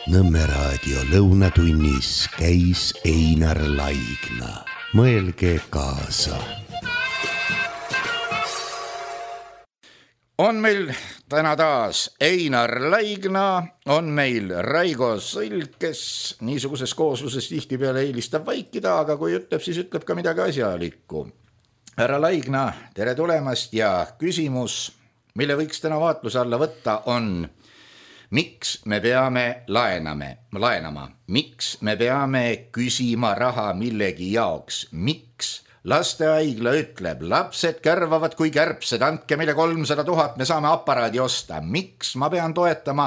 Nõmme raadio lõunatunnis käis Einar Laigna. Mõelge kaasa. On meil täna taas Einar Laigna, on meil Raigo Sõlg, kes niisuguses koosluses tihtipeale eelistab vaikida, aga kui ütleb, siis ütleb ka midagi asjalikku. Härra Laigna, tere tulemast ja küsimus, mille võiks täna vaatluse alla võtta, on miks me peame laenama, miks me peame küsima raha millegi jaoks, miks lastehaigla ütleb, lapsed kärvavad kui kärbsed, andke meile 300 000, me saame aparaadi osta. Miks ma pean toetama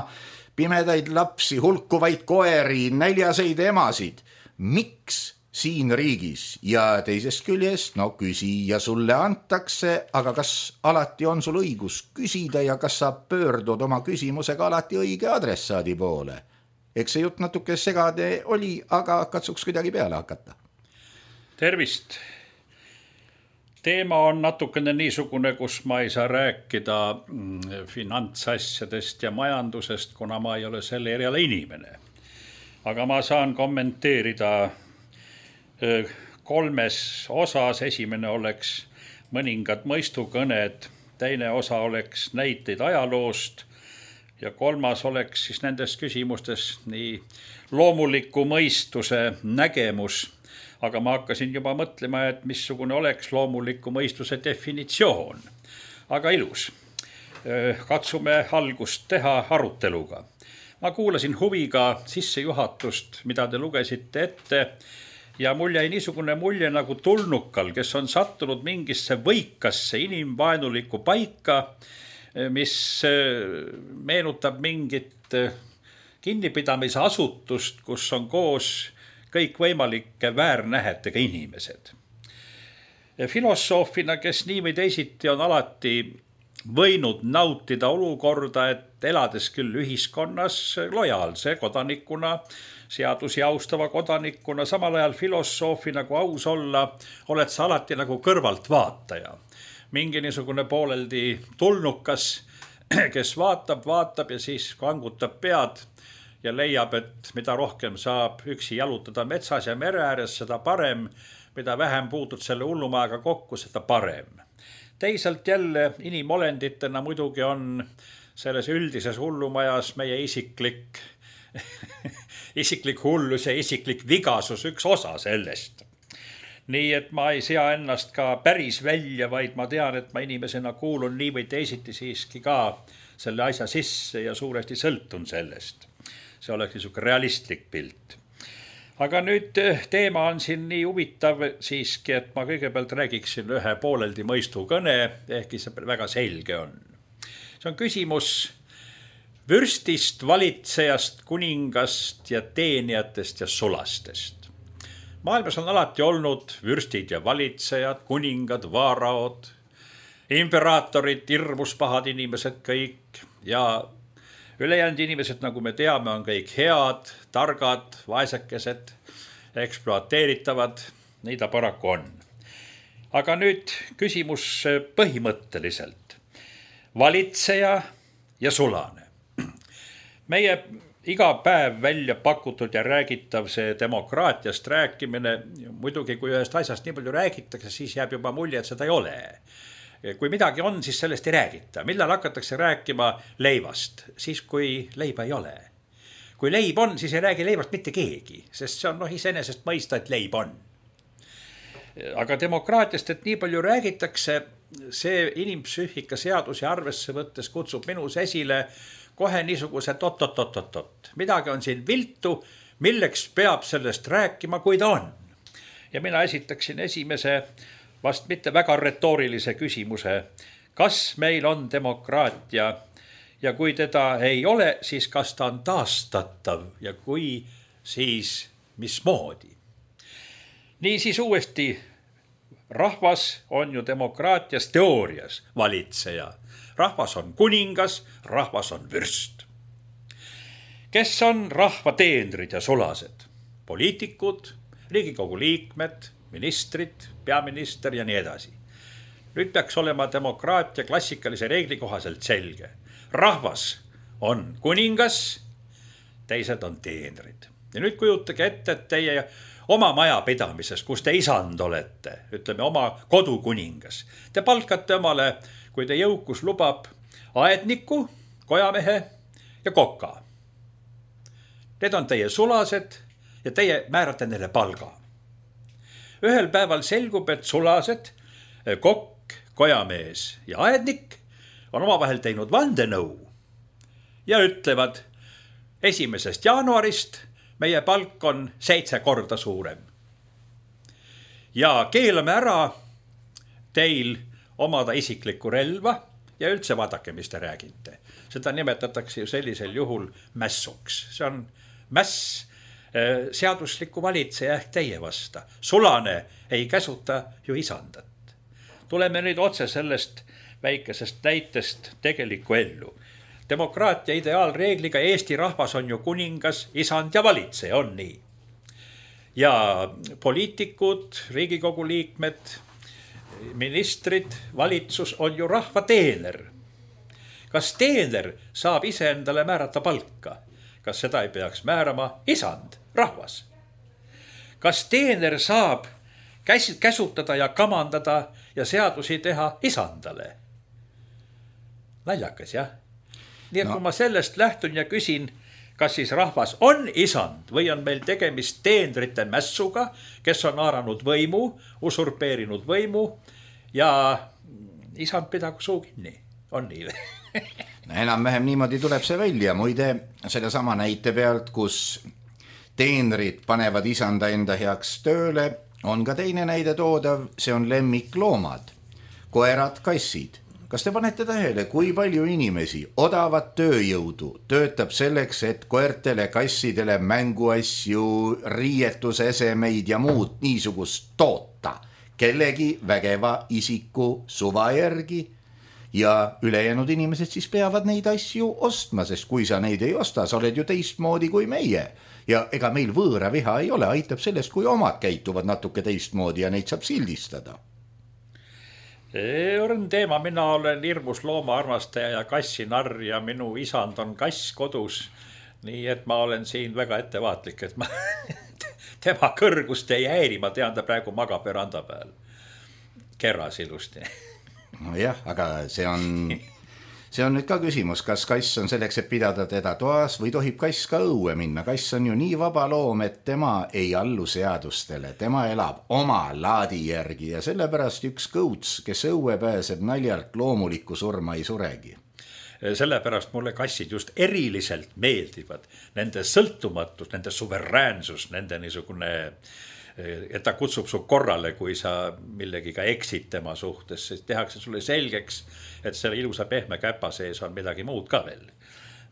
pimedaid lapsi, hulkuvaid koeri, näljaseid emasid? Miks siin riigis? Ja teisest küljest, küsija sulle antakse, aga kas alati on sul õigus küsida ja kas sa pöördud oma küsimusega alati õige adressaadi poole? Eks see jutt natuke segade oli, aga katsuks kuidagi peale hakata. Tervist! Teema on natukene niisugune, kus ma ei saa rääkida finantsasjadest ja majandusest, kuna ma ei ole selle eriala inimene. Aga ma saan kommenteerida 3 osas. Esimene oleks mõningad mõistukõned, teine osa oleks näiteid ajaloost ja 3. oleks siis nendes küsimustes nii loomuliku mõistuse nägemus. Aga ma hakkasin juba mõtlema, et missugune oleks loomuliku mõistuse definitsioon. Aga ilus. Katsume algust teha aruteluga. Ma kuulasin huviga sissejuhatust, mida te lugesite ette ja mul jäi niisugune mulje nagu tulnukal, kes on sattunud mingisse võikasse inimvaenulikku paika, mis meenutab mingit kinnipidamise asutust, kus on koos kõik võimalike väärnähetega inimesed. Filosoofina, kes nii või teisiti on alati võinud nautida olukorda, et elades küll ühiskonnas lojaalse kodanikuna, seadusi austava kodanikuna, samal ajal filosoofina, kui aus olla, oled sa alati nagu kõrvalt vaataja. Mingi niisugune pooleldi tulnukas, kes vaatab ja siis kangutab pead ja leiab, et mida rohkem saab üksi jalutada metsas ja mere ääres, seda parem, mida vähem puutud selle hullumajaga kokku, seda parem. Teisalt jälle inimolenditena muidugi on selles üldises hullumajas meie isiklik hullus ja isiklik vigasus üks osa sellest. Nii et ma ei sea ennast ka päris välja, vaid ma tean, et ma inimesena kuulun nii või teisiti siiski ka selle asja sisse ja suuresti sõltun sellest. See oleks niisugune realistlik pilt. Aga nüüd teema on siin nii huvitav siiski, et ma kõigepealt räägiksin ühe pooleldi mõistukõne, ehkki see väga selge on. See on küsimus vürstist, valitsejast, kuningast ja teenijatest ja sulastest. Maailmas on alati olnud vürstid ja valitsejad, kuningad, vaaraod, imperaatorid, hirmus pahad inimesed kõik ja ülejäänud inimesed, nagu me teame, on kõik head, targad, vaesekesed, ekspluateeritavad, nii ta paraku on. Aga nüüd küsimus põhimõtteliselt. Valitseja ja sulane. Meie iga päev välja pakutud ja räägitav see demokraatiast rääkimine, muidugi kui ühest asjast nii palju räägitakse, siis jääb juba mulje, et seda ei ole. Kui midagi on, siis sellest ei räägita. Millal hakatakse rääkima leivast? Siis, kui leiba ei ole. Kui leib on, siis ei räägi leivast mitte keegi, sest see on iseenesest mõista, et leib on. Aga demokraatiast, et nii palju räägitakse, see inimpsüühika seadusi arvesse võttes kutsub minus esile kohe niisuguse tot. Midagi on siin viltu, milleks peab sellest rääkima, kui ta on. Ja mina esitaksin esimese vast mitte väga retoorilise küsimuse, kas meil on demokraatia ja kui teda ei ole, siis kas ta on taastatav ja kui, siis mismoodi. Niisiis uuesti, rahvas on ju demokraatias teoorias valitseja. Rahvas on kuningas, rahvas on vürst. Kes on rahva teenrid ja sulased? Poliitikud, Riigikogu liikmed, ministrid, peaminister ja nii edasi. Nüüd peaks olema demokraatia klassikalise reegli kohaselt selge. Rahvas on kuningas, teised on teenrid. Ja nüüd kujutage ette, et teie oma majapidamises, kus te isand olete, ütleme oma kodukuningas, te palkate omale, kui te jõukus lubab, aedniku, kojamehe ja koka. Need on teie sulased ja teie määrate neile palga. Ühel päeval selgub, et sulased, kokk, kojamees ja aednik on omavahel teinud vandenõu ja ütlevad 1. jaanuarist meie palk on 7 korda suurem. Ja keelame ära teil omada isiklikku relva ja üldse vaadake, mis te räägite. Seda nimetatakse ju sellisel juhul mässuks. See on mäss seadusliku valitseja ehk teie vasta. Sulane ei käsuta ju isandat. Tuleme nüüd otse sellest väikesest näitest tegelikku ellu. Demokraatia ideaalreegliga Eesti rahvas on ju kuningas, isand ja valitseja, on nii. Ja poliitikud, Riigikogu liikmed, ministrid, valitsus on ju rahva teener. Kas teener saab ise endale määrata palka? Kas seda ei peaks määrama isand, rahvas? Kas teener saab käsutada ja kamandada ja seadusi teha isandale? Naljakas, jah? Nii et kui ma sellest lähtun ja küsin, kas siis rahvas on isand või on meil tegemist teenrite mässuga, kes on haaranud võimu, usurpeerinud võimu ja isand pidagu suu kinni. On nii või? Enam-vähem niimoodi tuleb see välja. Muide, sellesama näite pealt, kus teenrid panevad isanda enda heaks tööle, on ka teine näide toodav, see on lemmikloomad, koerad, kassid. Kas te panete tähele, kui palju inimesi odavat tööjõudu töötab selleks, et koertele, kassidele mänguasju, riietusesemeid ja muud niisugust toota kellegi vägeva isiku suva järgi ja ülejäänud inimesed siis peavad neid asju ostma, sest kui sa neid ei osta, sa oled ju teistmoodi kui meie. Ja ega meil võõra viha ei ole, aitab sellest, kui omad käituvad natuke teistmoodi ja neid saab sildistada. On teema, mina olen hirmus loomaarmastaja ja kassinarr ja minu isand on kass kodus. Nii et ma olen siin väga ettevaatlik, et ma tema kõrgust ei häiri, ma tean, ta praegu magab veranda peal. Kerras ilusti. No jah, aga see on nüüd ka küsimus, kas kass on selleks, et pidada teda toas või tohib kass ka õue minna. Kass on ju nii vaba loom, et tema ei allu seadustele, tema elab oma laadi järgi ja sellepärast üks kõuts, kes õue pääseb naljalt, loomulikku surma ei suregi. Sellepärast mulle kassid just eriliselt meeldivad. Nende sõltumatus, nende suveräänsus, nende niisugune, et ta kutsub su korrale, kui sa millegiga eksid tema suhtes, siis tehakse sulle selgeks, et selle ilusa pehme käpa sees on midagi muud ka veel.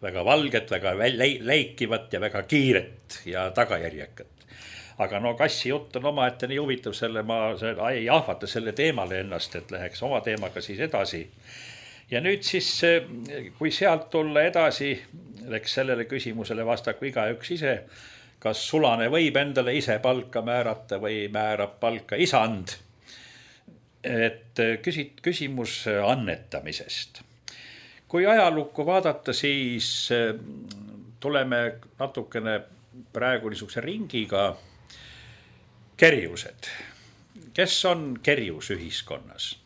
Väga valget, väga läikivat ja väga kiiret ja tagajärjekat. Aga no kassi jutt on oma, et nii huvitav selle, ma ei ahvata selle teemale ennast, et läheks oma teemaga siis edasi. Ja nüüd siis, kui sealt tulla edasi, läks sellele küsimusele vastaku igaüks ise, kas sulane võib endale ise palka määrata või määrab palka isand. Et küsimus annetamisest. Kui ajalukku vaadata, siis tuleme natukene praegu niisuguse ringiga kerjused. Kes on kerjus ühiskonnas?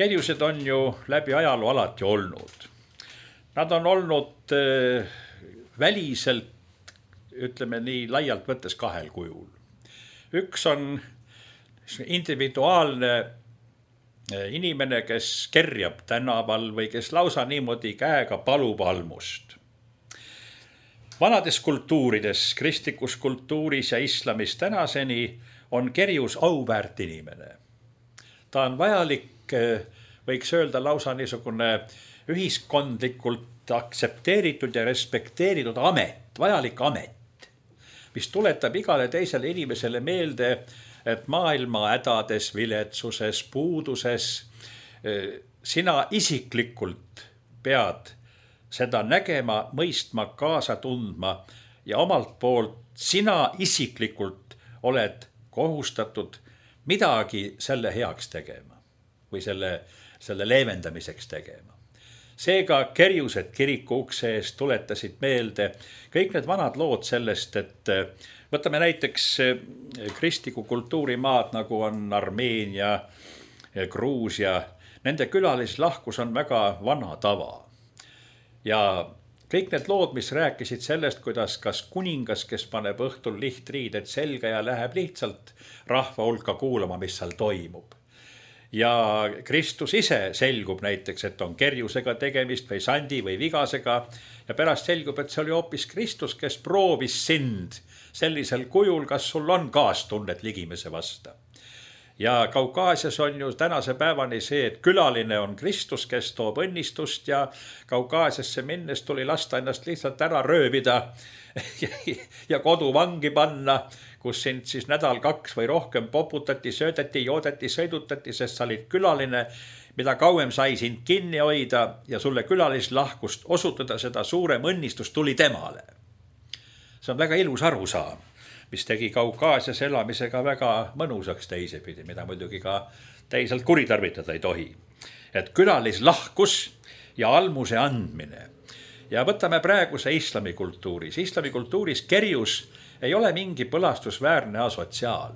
Kerjused on ju läbi ajaloo alati olnud. Nad on olnud väliselt, ütleme nii laialt võttes kahel kujul. Üks on individuaalne inimene, kes kerjab tänaval või kes lausa niimoodi käega palub almust. Vanades kultuurides, kristlikus kultuuris ja islamis tänaseni on kerjus auväärt inimene. Ta on vajalik, võiks öelda lausa niisugune ühiskondlikult aktsepteeritud ja respekteeritud amet, vajalik amet, mis tuletab igale teisele inimesele meelde, et maailma hädades, viletsuses, puuduses sina isiklikult pead seda nägema, mõistma, kaasa tundma ja omalt poolt sina isiklikult oled kohustatud midagi selle heaks tegema või selle leevendamiseks tegema. Seega kerjused kiriku ukse eest tuletasid meelde kõik need vanad lood sellest, et võtame näiteks kristliku kultuurimaad, nagu on Armeenia, Gruusia. Nende külalislahkus on väga vana tava. Ja kõik need lood, mis rääkisid sellest, kuidas kas kuningas, kes paneb õhtul lihtriided selga ja läheb lihtsalt rahva hulka kuulama, mis seal toimub. Ja Kristus ise selgub näiteks, et on kerjusega tegemist või sandi või vigasega ja pärast selgub, et see oli hoopis Kristus, kes proovis sind sellisel kujul, kas sul on kaastunnet ligimese vasta. Ja Kaukaasias on ju tänase päevani see, et külaline on Kristus, kes toob õnnistust ja Kaukaasiasse minnes tuli lasta ennast lihtsalt ära röövida ja koduvangi panna, kus sind siis nädal, 2 või rohkem poputati, söödeti, joodeti, sõidutati, sest sa olid külaline, mida kauem sai sind kinni hoida ja sulle külalislahkust osutada, seda suurem õnnistus tuli temale. See on väga ilus arusaam, mis tegi Kaukaasias elamisega väga mõnusaks teisepidi, mida muidugi ka teisalt kuritarvitada ei tohi. Et külalislahkus ja almuse andmine. Ja võtame praeguse islamikultuuris. Islamikultuuris kerjus ei ole mingi põlastusväärne asotsiaal.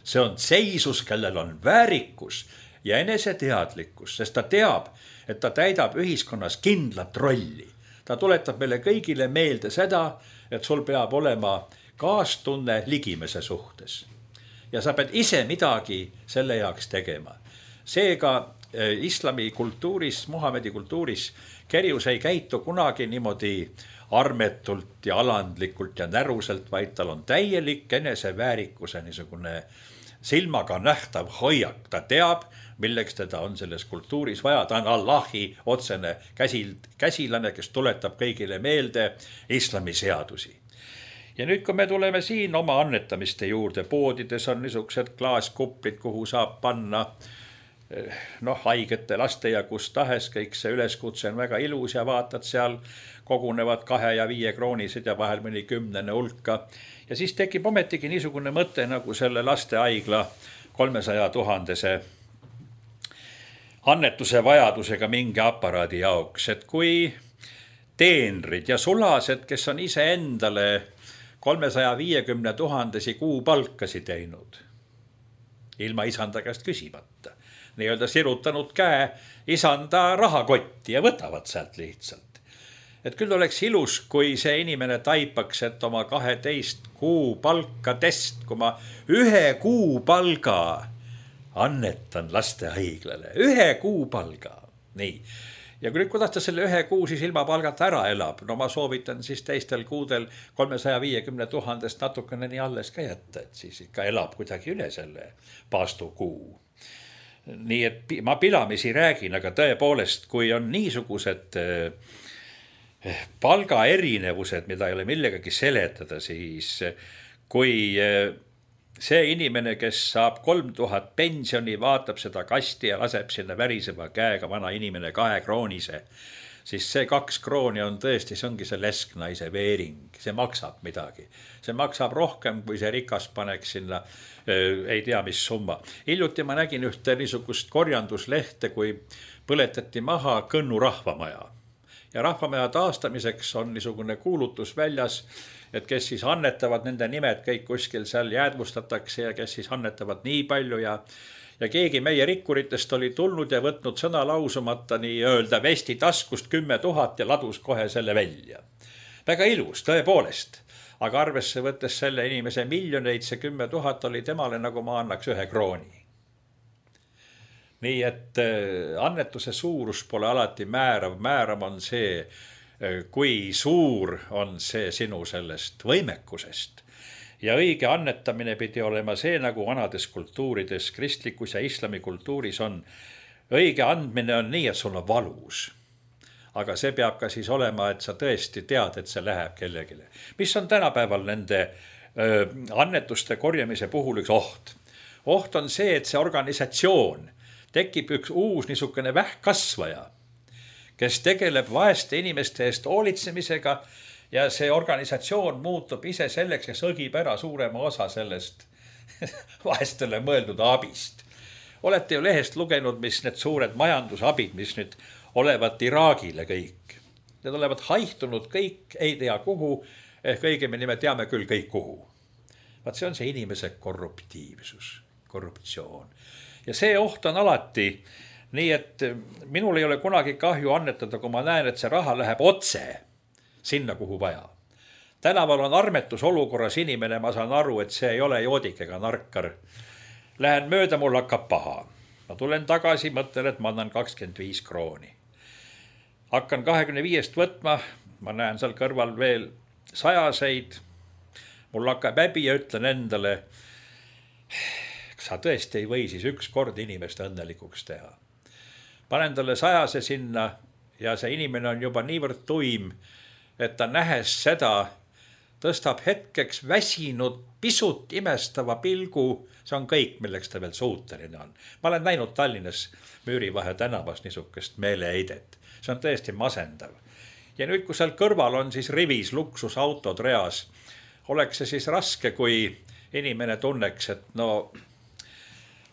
See on seisus, kellel on väärikus ja eneseteadlikkus, sest ta teab, et ta täidab ühiskonnas kindlat rolli. Ta tuletab meile kõigile meelde seda, et sul peab olema kaastunne ligimese suhtes. Ja sa pead ise midagi selle jaoks tegema. Seega islami kultuuris, Muhamedi kultuuris kerjus ei käitu kunagi niimoodi armetult ja alandlikult ja näruselt, vaid tal on täielik eneseväärikuse niisugune silmaga nähtav hoiak. Ta teab, milleks teda on selles kultuuris vaja. Ta on Allahi otsene käsilane, kes tuletab kõigile meelde islami seadusi. Ja nüüd, kui me tuleme siin oma annetamiste juurde, poodides on niisugused klaaskuplid, kuhu saab panna haigete laste ja kus tahes, kõik see üleskutse on väga ilus ja vaatad seal kogunevad 2 ja 5 kroonised ja vahel mõni 10 hulka. Ja siis tekib ometigi niisugune mõte nagu selle lastehaigla 300 000 annetuse vajadusega mingi aparaadi jaoks, et kui teenrid ja sulased, kes on ise endale 350 000 kuupalkasi teinud, ilma isanda käest küsimata, nii-öelda sirutanud käe isanda rahakotti ja võtavad sealt lihtsalt. Et küll oleks ilus, kui see inimene taipaks, et oma 12 kuupalkadest, kui ma 1 kuupalga annetan lastehaiglale, 1 kuupalga, nii. Ja kui nüüd, kuidas ta selle 1 kuu siis ilma palgata ära elab, no ma soovitan siis teistel kuudel 350 000 natukene nii alles ka jätta, et siis ikka elab kuidagi üle selle paastu kuu. Nii et ma pilamisi räägin, aga tõepoolest, kui on niisugused palgaerinevused, mida ei ole millegagi seletada, siis kui see inimene, kes saab 3000 pensioni, vaatab seda kasti ja laseb sinna väriseva käega vana inimene 2 kroonise, siis see 2 krooni on tõesti, see ongi see lesknaise veering, see maksab midagi. See maksab rohkem, kui see rikas paneks sinna, ei tea mis summa. Hiljuti ma nägin ühte niisugust korjanduslehte, kui põletati maha Kõnnu rahvamaja. Ja rahvamaja taastamiseks on niisugune kuulutus väljas, et kes siis annetavad, nende nimed kõik kuskil seal jäädvustatakse ja kes siis annetavad nii palju ja keegi meie rikkuritest oli tulnud ja võtnud sõna lausumata nii-öelda vesti taskust 10 000 ja ladus kohe selle välja. Väga ilus, tõepoolest, aga arvesse võttes selle inimese miljoneid, see 10 000 oli temale, nagu ma annaks 1 krooni. Nii et annetuse suurus pole alati määrav, määrav on see, kui suur on see sinu sellest võimekusest. Ja õige annetamine pidi olema see, nagu vanades kultuurides, kristlikus ja islami kultuuris on. Õige andmine on nii, et sul on valus. Aga see peab ka siis olema, et sa tõesti tead, et see läheb kellegile. Mis on tänapäeval nende annetuste korjamise puhul üks oht? Oht on see, et see organisatsioon tekib üks uus niisugune vähkkasvaja, kes tegeleb vaeste inimeste eest hoolitsemisega ja see organisatsioon muutub ise selleks, kes õgib ära suurema osa sellest vaestele mõeldud abist. Olete ju lehest lugenud, mis need suured majandusabid, mis nüüd olevat Iraagile kõik. Need olevat haihtunud kõik, ei tea kuhu, ehk õigemini me teame küll kõik kuhu. Vaat see on see inimese korruptiivsus, korruptsioon. Ja see oht on alati, nii et minul ei ole kunagi kahju annetada, kui ma näen, et see raha läheb otse sinna, kuhu vaja. Tänaval on armetus olukorras inimene, ma saan aru, et see ei ole joodik ega narkar. Lähen mööda, mul hakkab paha. Ma tulen tagasi, mõtlen, et ma annan 25 krooni. Hakkan 25 võtma, ma näen seal kõrval veel 100-seid. Mul hakkab häbi ja ütlen endale, kas sa tõesti ei või siis üks kord inimest õnnelikuks teha. Panen talle 100 sinna ja see inimene on juba niivõrd tuim, et ta nähes seda, tõstab hetkeks väsinud, pisut imestava pilgu, see on kõik, milleks ta veel suuteline on. Ma olen näinud Tallinnas Müürivahe tänavas niisugust meeleheidet. See on tõesti masendav. Ja nüüd, kui seal kõrval on siis rivis luksusautod reas, oleks see siis raske, kui inimene tunneks, et no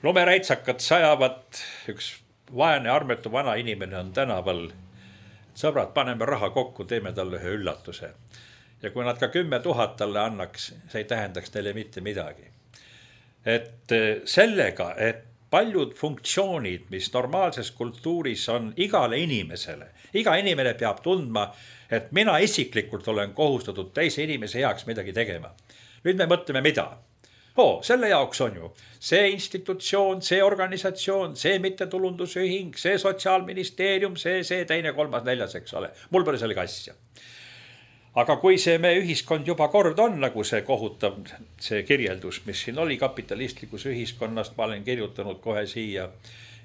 lumeräitsakad sajavad, üks vaene armetu vana inimene on tänaval. Sõbrad, paneme raha kokku, teeme talle ühe üllatuse. Ja kui nad ka 10 000 talle annaks, see ei tähendaks neile mitte midagi. Et sellega, et paljud funktsioonid, mis normaalses kultuuris on igale inimesele, iga inimene peab tundma, et mina isiklikult olen kohustatud teise inimese heaks midagi tegema. Nüüd me mõtleme mida? Selle jaoks on ju see institutsioon, see organisatsioon, see mittetulundusühing, see sotsiaalministeerium, see teine, kolmas, neljas, eks ole. Mul pole sellega asja. Aga kui see meie ühiskond juba kord on, nagu see kohutav see kirjeldus, mis siin oli kapitalistlikus ühiskonnast, ma olen kirjutanud kohe siia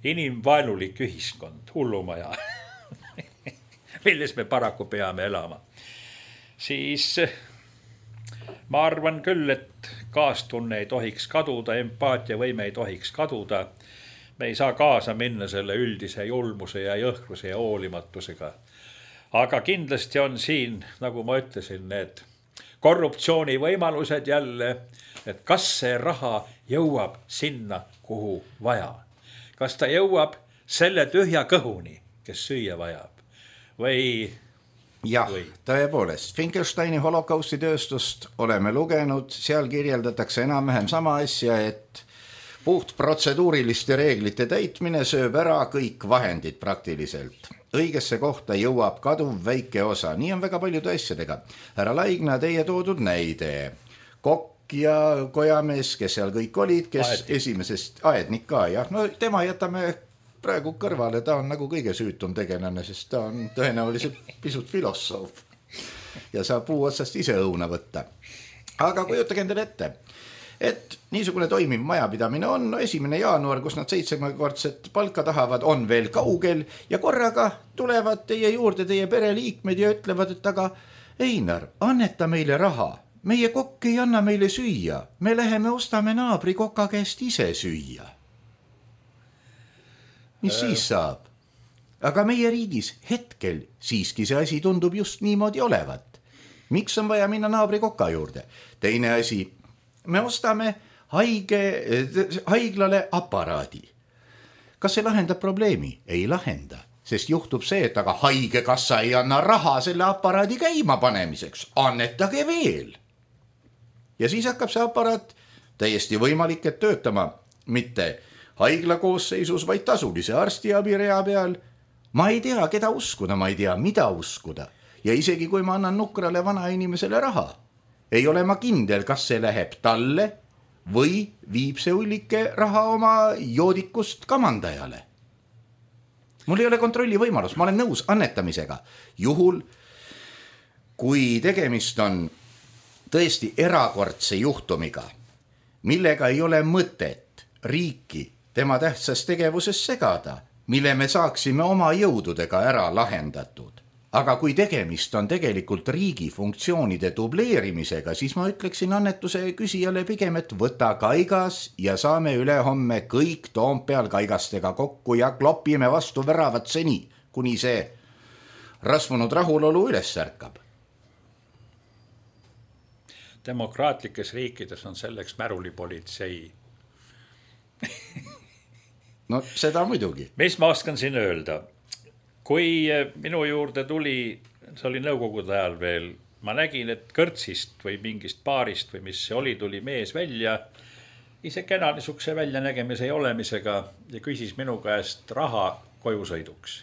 inimvaenulik ühiskond, hullumaja, milles me paraku peame elama, siis ma arvan küll, et kaastunne ei tohiks kaduda, empaatiavõime ei tohiks kaduda. Me ei saa kaasa minna selle üldise julmuse ja jõhkruse ja hoolimatusega. Aga kindlasti on siin, nagu ma ütlesin, need korruptsiooni võimalused jälle, et kas see raha jõuab sinna, kuhu vaja. Kas ta jõuab selle tühja kõhuni, kes süüa vajab või... Jah, tõepoolest, Finkelsteini holokausti tööstust oleme lugenud, seal kirjeldatakse enam-vähem sama asja, et puht protseduuriliste reeglite täitmine sööb ära kõik vahendid praktiliselt. Õigesse kohta jõuab kaduv väike osa, nii on väga paljude asjadega. Härra Laigna, teie toodud näide, kokk ja kojamees, kes seal kõik olid, kes esimesest aednik ka, jah, no tema jätame praegu kõrvale, ta on nagu kõige süütum tegelane, sest ta on tõenäoliselt pisut filosoof ja saab puu otsast ise õuna võtta. Aga kujutage endale ette, et niisugune toimiv majapidamine on 1. jaanuar, kus nad 7-kordset palka tahavad, on veel kaugel ja korraga tulevad teie juurde teie pereliikmed ja ütlevad, et aga Einar, anneta meile raha, meie kokk ei anna meile süüa, me läheme ostame naabri koka käest ise süüa. Mis siis saab? Aga meie riigis hetkel siiski see asi tundub just niimoodi olevat. Miks on vaja minna naabri koka juurde? Teine asi, me ostame haiglale aparaadi. Kas see lahendab probleemi? Ei lahenda, sest juhtub see, et aga haigekassa ei anna raha selle aparaadi käima panemiseks. Annetage veel. Ja siis hakkab see aparaat täiesti võimalik, et töötama mitte haigla koosseisus, vaid tasulise arstiabirea peal. Ma ei tea, keda uskuda, ma ei tea, mida uskuda. Ja isegi kui ma annan nukrale vana inimesele raha, ei ole ma kindel, kas see läheb talle või viib see ullike raha oma joodikust kamandajale. Mul ei ole kontrolli võimalus, ma olen nõus annetamisega. Juhul, kui tegemist on tõesti erakordse juhtumiga, millega ei ole mõtet riiki tema tähtsas tegevuses segada, mille me saaksime oma jõududega ära lahendatud. Aga kui tegemist on tegelikult riigi funktsioonide dubleerimisega, siis ma ütleksin annetuse küsijale pigem, et võta kaigas ja saame ülehomme kõik Toompeal kaigastega kokku ja klopime vastu väravat seni, kuni see rasvunud rahulolu üles ärkab. Demokraatlikes riikides on selleks märulipolitsei. No seda muidugi. Mis ma oskan siin öelda? kui minu juurde tuli, see oli nõukogude ajal veel, ma nägin, et kõrtsist või mingist baarist või mis see oli, tuli mees välja, ise kena niisuguse väljanägemise ja olemisega ja küsis minu käest raha kojusõiduks.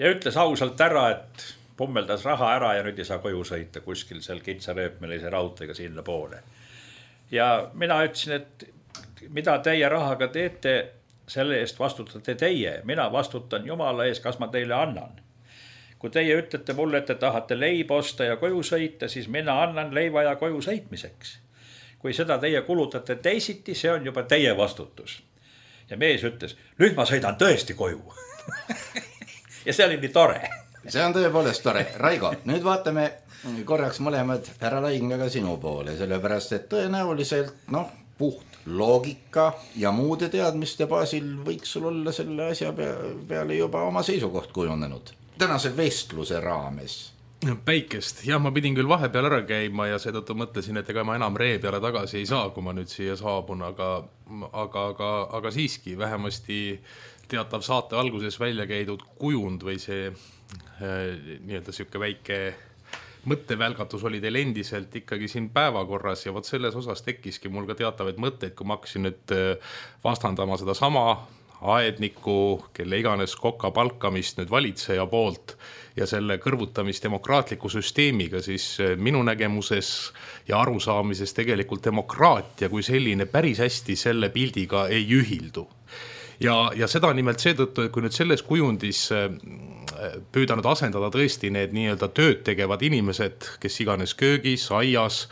Ja ütles ausalt ära, et pommeldas raha ära ja nüüd ei saa koju sõita kuskil seal kitsarööpmelise raudteega sinna poole. Ja mina ütlesin, et mida teie rahaga teete, selle eest vastutate teie, mina vastutan Jumala ees, kas ma teile annan. Kui teie ütlete mulle, et te tahate leiba osta ja koju sõita, siis mina annan leiva ja koju sõitmiseks. Kui seda teie kulutate teisiti, see on juba teie vastutus. Ja mees ütles, nüüd ma sõidan tõesti koju. Ja see oli nii tore. See on tõepoolest tore. Raigo, nüüd vaatame korraks mõlemad härra Laignaga sinu poole, sellepärast et tõenäoliselt puht loogika ja muude teadmiste baasil võiks sul olla selle asja peale juba oma seisukoht kujunenud tänase vestluse raames. Päikest, jah, ma pidin küll vahepeal ära käima ja seetõttu mõtlesin, et ega ma enam ree peale tagasi ei saa, kui ma nüüd siia saabun, aga siiski vähemasti teatav saate alguses välja käidud kujund või see nii-öelda siuke väike mõttevälgatus oli teil endiselt ikkagi siin päevakorras ja vot selles osas tekkiski mul ka teatavaid mõtteid, kui ma hakkasin nüüd vastandama seda sama aedniku, kelle iganes koka palkamist nüüd valitseja poolt ja selle kõrvutamist demokraatliku süsteemiga, siis minu nägemuses ja arusaamises tegelikult demokraatia kui selline päris hästi selle pildiga ei ühildu. Ja seda nimelt seetõttu, et kui nüüd selles kujundis püüda nüüd asendada tõesti need nii-öelda tööd tegevad inimesed, kes iganes köögis, aias,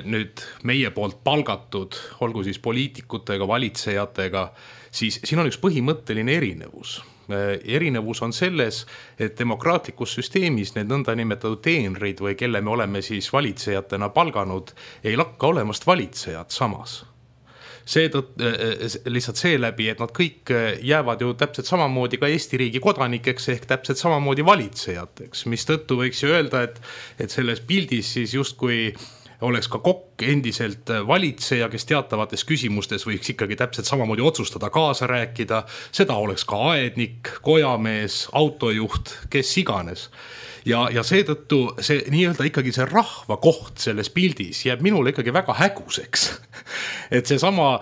nüüd meie poolt palgatud, olgu siis poliitikutega, valitsejatega, siis siin on üks põhimõtteline erinevus. Erinevus on selles, et demokraatlikus süsteemis need nõnda nimetatud teenrid või kelle me oleme siis valitsejatena palganud, ei lakka olemast valitsejad samas. Lihtsalt seeläbi, et nad kõik jäävad ju täpselt samamoodi ka Eesti riigi kodanikeks ehk täpselt samamoodi valitsejateks, mis tõttu võiks ju öelda, et selles pildis siis justkui oleks ka kokk endiselt valitseja, kes teatavates küsimustes võiks ikkagi täpselt samamoodi otsustada, kaasa rääkida, seda oleks ka aednik, kojamees, autojuht, kes iganes. Ja seetõttu see nii-öelda ikkagi see rahva koht selles pildis jääb minule ikkagi väga häguseks. Et see sama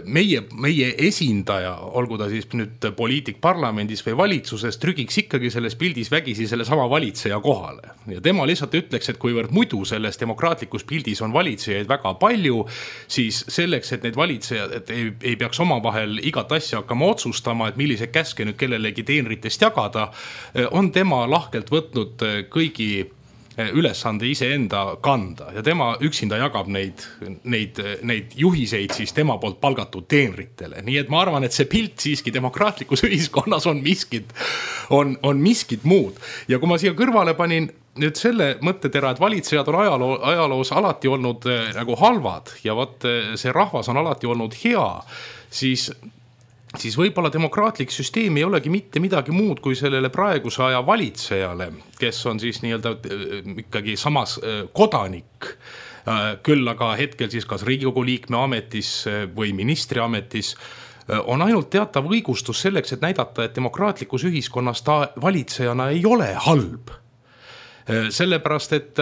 meie esindaja, olgu ta siis nüüd poliitik parlamendis või valitsuses, trügiks ikkagi selles pildis vägisi selle sama valitseja kohale. Ja tema lihtsalt ütleks, et kuivõrd muidu selles demokraatlikus pildis on valitsejaid väga palju, siis selleks, et need valitsejad ei peaks omavahel igat asja hakkama otsustama, et millise käske nüüd kellelegi teenritest jagada, on tema lahke võtnud kõigi ülesande iseenda kanda ja tema üksinda jagab neid juhiseid siis tema poolt palgatud teenritele. Nii et ma arvan, et see pilt siiski demokraatlikus ühiskonnas on miskit muud. Ja kui ma siia kõrvale panin nüüd selle mõttetera, et valitsejad on ajaloos alati olnud nagu halvad ja see rahvas on alati olnud hea, siis võib-olla demokraatlik süsteem ei olegi mitte midagi muud kui sellele praeguse aja valitsejale, kes on siis nii-öelda ikkagi samas kodanik, küll aga hetkel siis kas Riigikogu liikme ametis või ministri ametis, on ainult teatav õigustus selleks, et näidata, et demokraatlikus ühiskonnas ta valitsejana ei ole halb. Sellepärast, et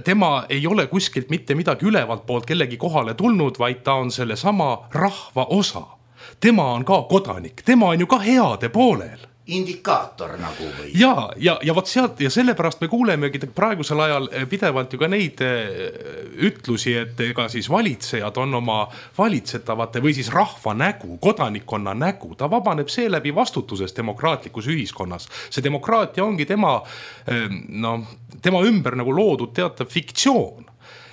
tema ei ole kuskilt mitte midagi ülevalt poolt kellegi kohale tulnud, vaid ta on selle sama rahva osa. Tema on ka kodanik, tema on ju ka heade poolel. Indikaator nagu või? Ja vot sealt ja sellepärast me kuulemegi praegusel ajal pidevalt ju ka neid ütlusi, et ega siis valitsejad on oma valitsetavate või siis rahva nägu, kodanikkonna nägu. Ta vabaneb seeläbi vastutusest demokraatlikus ühiskonnas. See demokraatia ongi tema ümber nagu loodud teatav fiktsioon.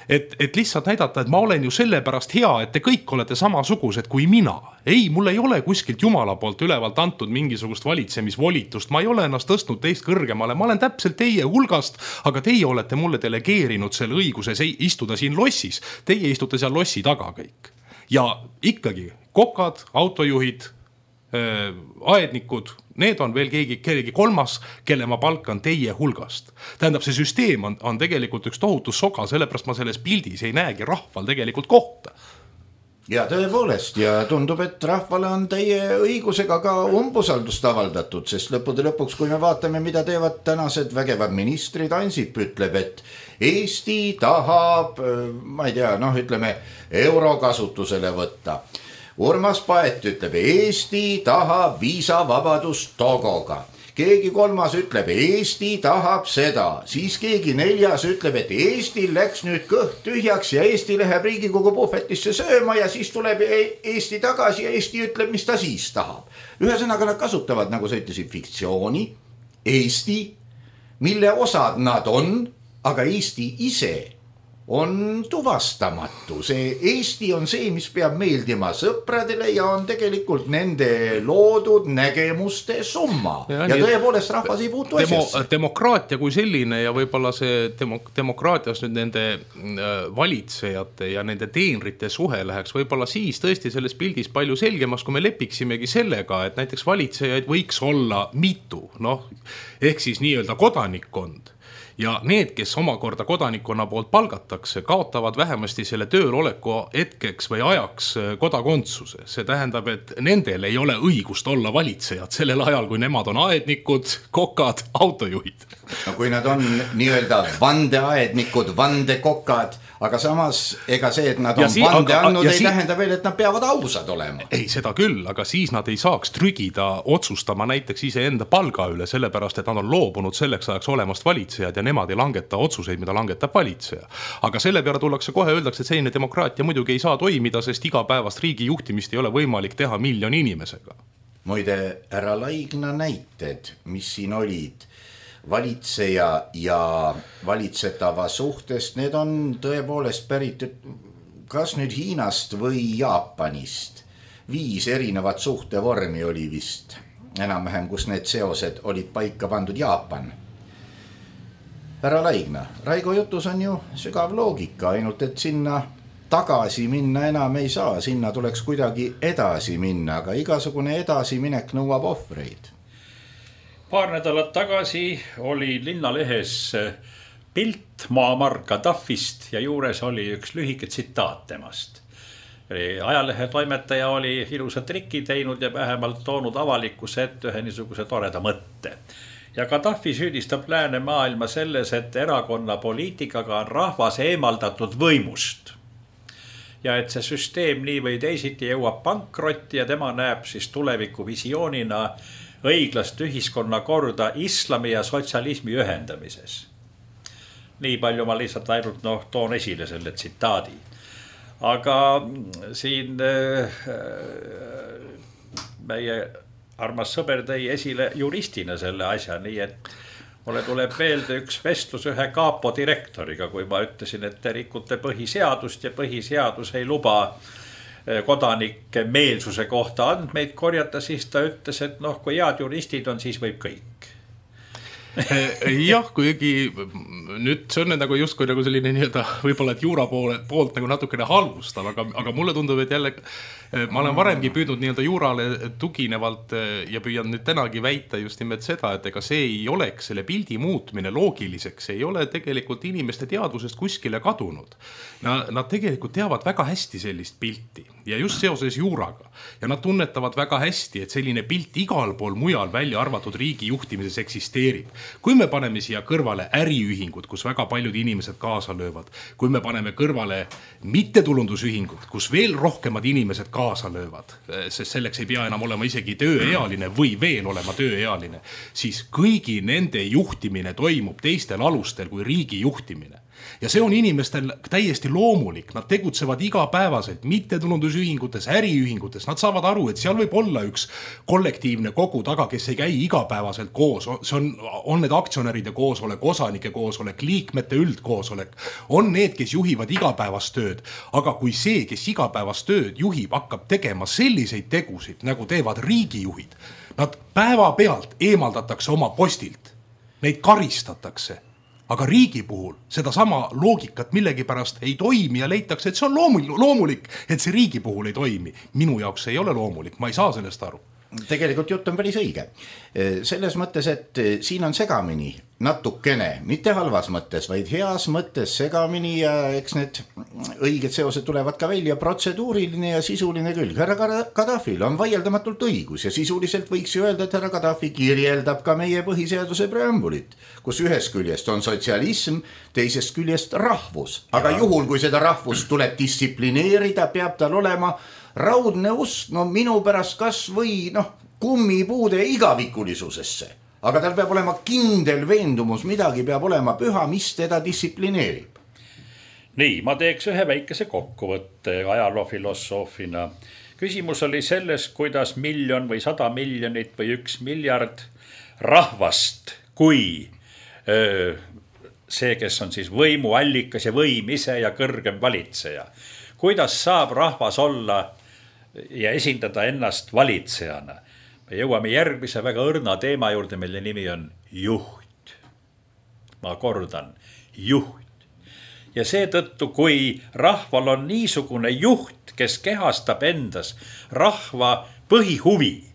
Et lihtsalt näidata, et ma olen ju sellepärast hea, et te kõik olete samasugused kui mina. Ei, mul ei ole kuskilt Jumala poolt ülevalt antud mingisugust valitsemisvolitust. Ma ei ole ennast tõstnud teist kõrgemale. Ma olen täpselt teie hulgast, aga teie olete mulle delegeerinud selle õiguse istuda siin lossis. Teie istute seal lossi taga kõik. Ja ikkagi kokad, autojuhid, aednikud, need on veel keegi kolmas, kelle ma palkan teie hulgast. Tähendab, see süsteem on tegelikult üks tohutu soga, sellepärast ma selles pildis ei näegi rahval tegelikult kohta. ja tõepoolest ja tundub, et rahvale on teie õigusega ka umbusaldust avaldatud, sest lõppude lõpuks, kui me vaatame, mida teevad tänased vägevad ministrid, Ansip ütleb, et Eesti tahab, ma ei tea, ütleme euro kasutusele võtta. Urmas Paet ütleb, Eesti tahab viisavabadust Togoga. Keegi kolmas ütleb, Eesti tahab seda, siis keegi neljas ütleb, et Eestil läks nüüd kõht tühjaks ja Eesti läheb Riigikogu puhvetisse sööma ja siis tuleb Eesti tagasi ja Eesti ütleb, mis ta siis tahab. Ühesõnaga nad kasutavad, nagu sa ütlesid, fiktsiooni, Eesti, mille osad nad on, aga Eesti ise on tuvastamatu. See Eesti on see, mis peab meeldima sõpradele ja on tegelikult nende loodud nägemuste summa. Ja tõepoolest rahvas ei puutu asjasse. Demokraatia kui selline ja võib-olla see demokraatias nüüd nende valitsejate ja nende teenrite suhe läheks võib-olla siis tõesti selles pildis palju selgemaks, kui me lepiksimegi sellega, et näiteks valitsejaid võiks olla mitu, ehk siis nii-öelda kodanikkond. Ja need, kes omakorda kodanikkonna poolt palgatakse, kaotavad vähemasti selle tööl oleku hetkeks või ajaks kodakondsuse. See tähendab, et nendel ei ole õigust olla valitsejad sellel ajal, kui nemad on aednikud, kokad, autojuhid. No kui nad on nii-öelda vandeaednikud, vandekokad, aga samas ega see, et nad on vande andnud, ei tähenda veel, et nad peavad ausad olema. Ei, seda küll, aga siis nad ei saaks trügida otsustama näiteks iseenda palga üle, sellepärast, et nad on loobunud selleks ajaks olemast valitsejad ja nemad ei langeta otsuseid, mida langetab valitseja. Aga selle peale tullakse kohe öeldakse, et selline demokraatia muidugi ei saa toimida, sest igapäevast riigi juhtimist ei ole võimalik teha miljoni inimesega. Muide, härra Laigna näited, mis siin olid, valitseja ja valitsetava suhtest, need on tõepoolest pärit kas nüüd Hiinast või Jaapanist. 5 erinevat suhtevormi oli vist enam-vähem, kus need seosed olid paika pandud. Jaapan. Härra Laigna, Raigo jutus on ju sügav loogika, ainult et sinna tagasi minna enam ei saa, sinna tuleks kuidagi edasi minna, aga igasugune edasiminek nõuab ohvreid. Paar nädalat tagasi oli linnalehes pilt Muammar Gaddafist ja juures oli üks lühike tsitaat temast. Ajalehe toimetaja oli ilusa triki teinud ja vähemalt toonud avalikkuse ette ühe niisuguse toreda mõtte. Ja Gaddafi süüdistab lääne maailma selles, et erakonna poliitikaga on rahvas eemaldatud võimust. Ja et see süsteem nii või teisiti jõuab pankrotti ja tema näeb siis tuleviku visioonina õiglast ühiskonna korda islami ja sotsialismi ühendamises. Nii palju ma lihtsalt ainult toon esile selle tsitaadi. Aga siin meie armas sõber tõi esile juristina selle asja, nii et mulle tuleb meelde üks vestlus ühe kaapo direktoriga, kui ma ütlesin, et te rikute põhiseadust ja põhiseadus ei luba kodanike meelsuse kohta andmeid korjata, siis ta ütles, et kui head juristid on, siis võib kõik. Jah, kuigi nüüd see on nagu justkui nagu selline nii-öelda võib-olla, et juura poolt nagu natukene halvustav, aga mulle tundub, et jälle ma olen varemgi püüdnud nii-öelda juurale tuginevalt ja püüan nüüd tänagi väita just nimelt seda, et ega see ei oleks selle pildi muutmine loogiliseks, ei ole tegelikult inimeste teadvusest kuskile kadunud. Nad tegelikult teavad väga hästi sellist pilti ja just seoses juuraga ja nad tunnetavad väga hästi, et selline pilt igal pool mujal välja arvatud riigi juhtimises eksisteerib. Kui me paneme siia kõrvale äriühingud, kus väga paljud inimesed kaasa löövad, kui me paneme kõrvale mittetulundusühingud, kus veel rohkemad inimesed kaasa löövad, sest selleks ei pea enam olema isegi tööealine või veel olema tööealine, siis kõigi nende juhtimine toimub teistel alustel kui riigi juhtimine. Ja see on inimestel täiesti loomulik, nad tegutsevad igapäevaselt, mittetulundusühingutes, äriühingutes, nad saavad aru, et seal võib olla üks kollektiivne kogu taga, kes ei käi igapäevaselt koos, see on need aktsionäride koosolek, osanike koosolek, liikmete üldkoosolek, on need, kes juhivad igapäevast tööd, aga kui see, kes igapäevast tööd juhib, hakkab tegema selliseid tegusid, nagu teevad riigijuhid, nad päeva pealt eemaldatakse oma postilt, neid karistatakse. Aga riigi puhul seda sama loogikat millegipärast ei toimi ja leitakse, et see on loomulik, et see riigi puhul ei toimi. Minu jaoks ei ole loomulik, ma ei saa sellest aru. Tegelikult jutt on päris õige. Selles mõttes, et siin on segamini natukene, mitte halvas mõttes, vaid heas mõttes segamini ja eks need õiged seosed tulevad ka välja, protseduuriline ja sisuline külg. Härra Gaddafil on vaieldamatult õigus ja sisuliselt võiks ju öelda, et härra Gaddafi kirjeldab ka meie põhiseaduse preambulit, kus ühest küljest on sotsialism, teisest küljest rahvus. Aga juhul, kui seda rahvust tuleb distsiplineerida, peab tal olema raudne usk, no minu pärast kas või kummipuude igavikulisusesse. Aga tal peab olema kindel veendumus, midagi peab olema püha, mis teda distsiplineerib. Nii, ma teeks ühe väikese kokkuvõtte ajaloofilosoofina. Küsimus oli selles, kuidas 1 miljon või 100 miljonit või 1 miljard rahvast, kui see, kes on siis võimuallikas ja võim ise ja kõrgem valitseja. Kuidas saab rahvas olla ja esindada ennast valitsejana? Me jõuame järgmise väga õrna teema juurde, mille nimi on juht. Ma kordan, juht. Ja seetõttu, kui rahval on niisugune juht, kes kehastab endas rahva põhihuvi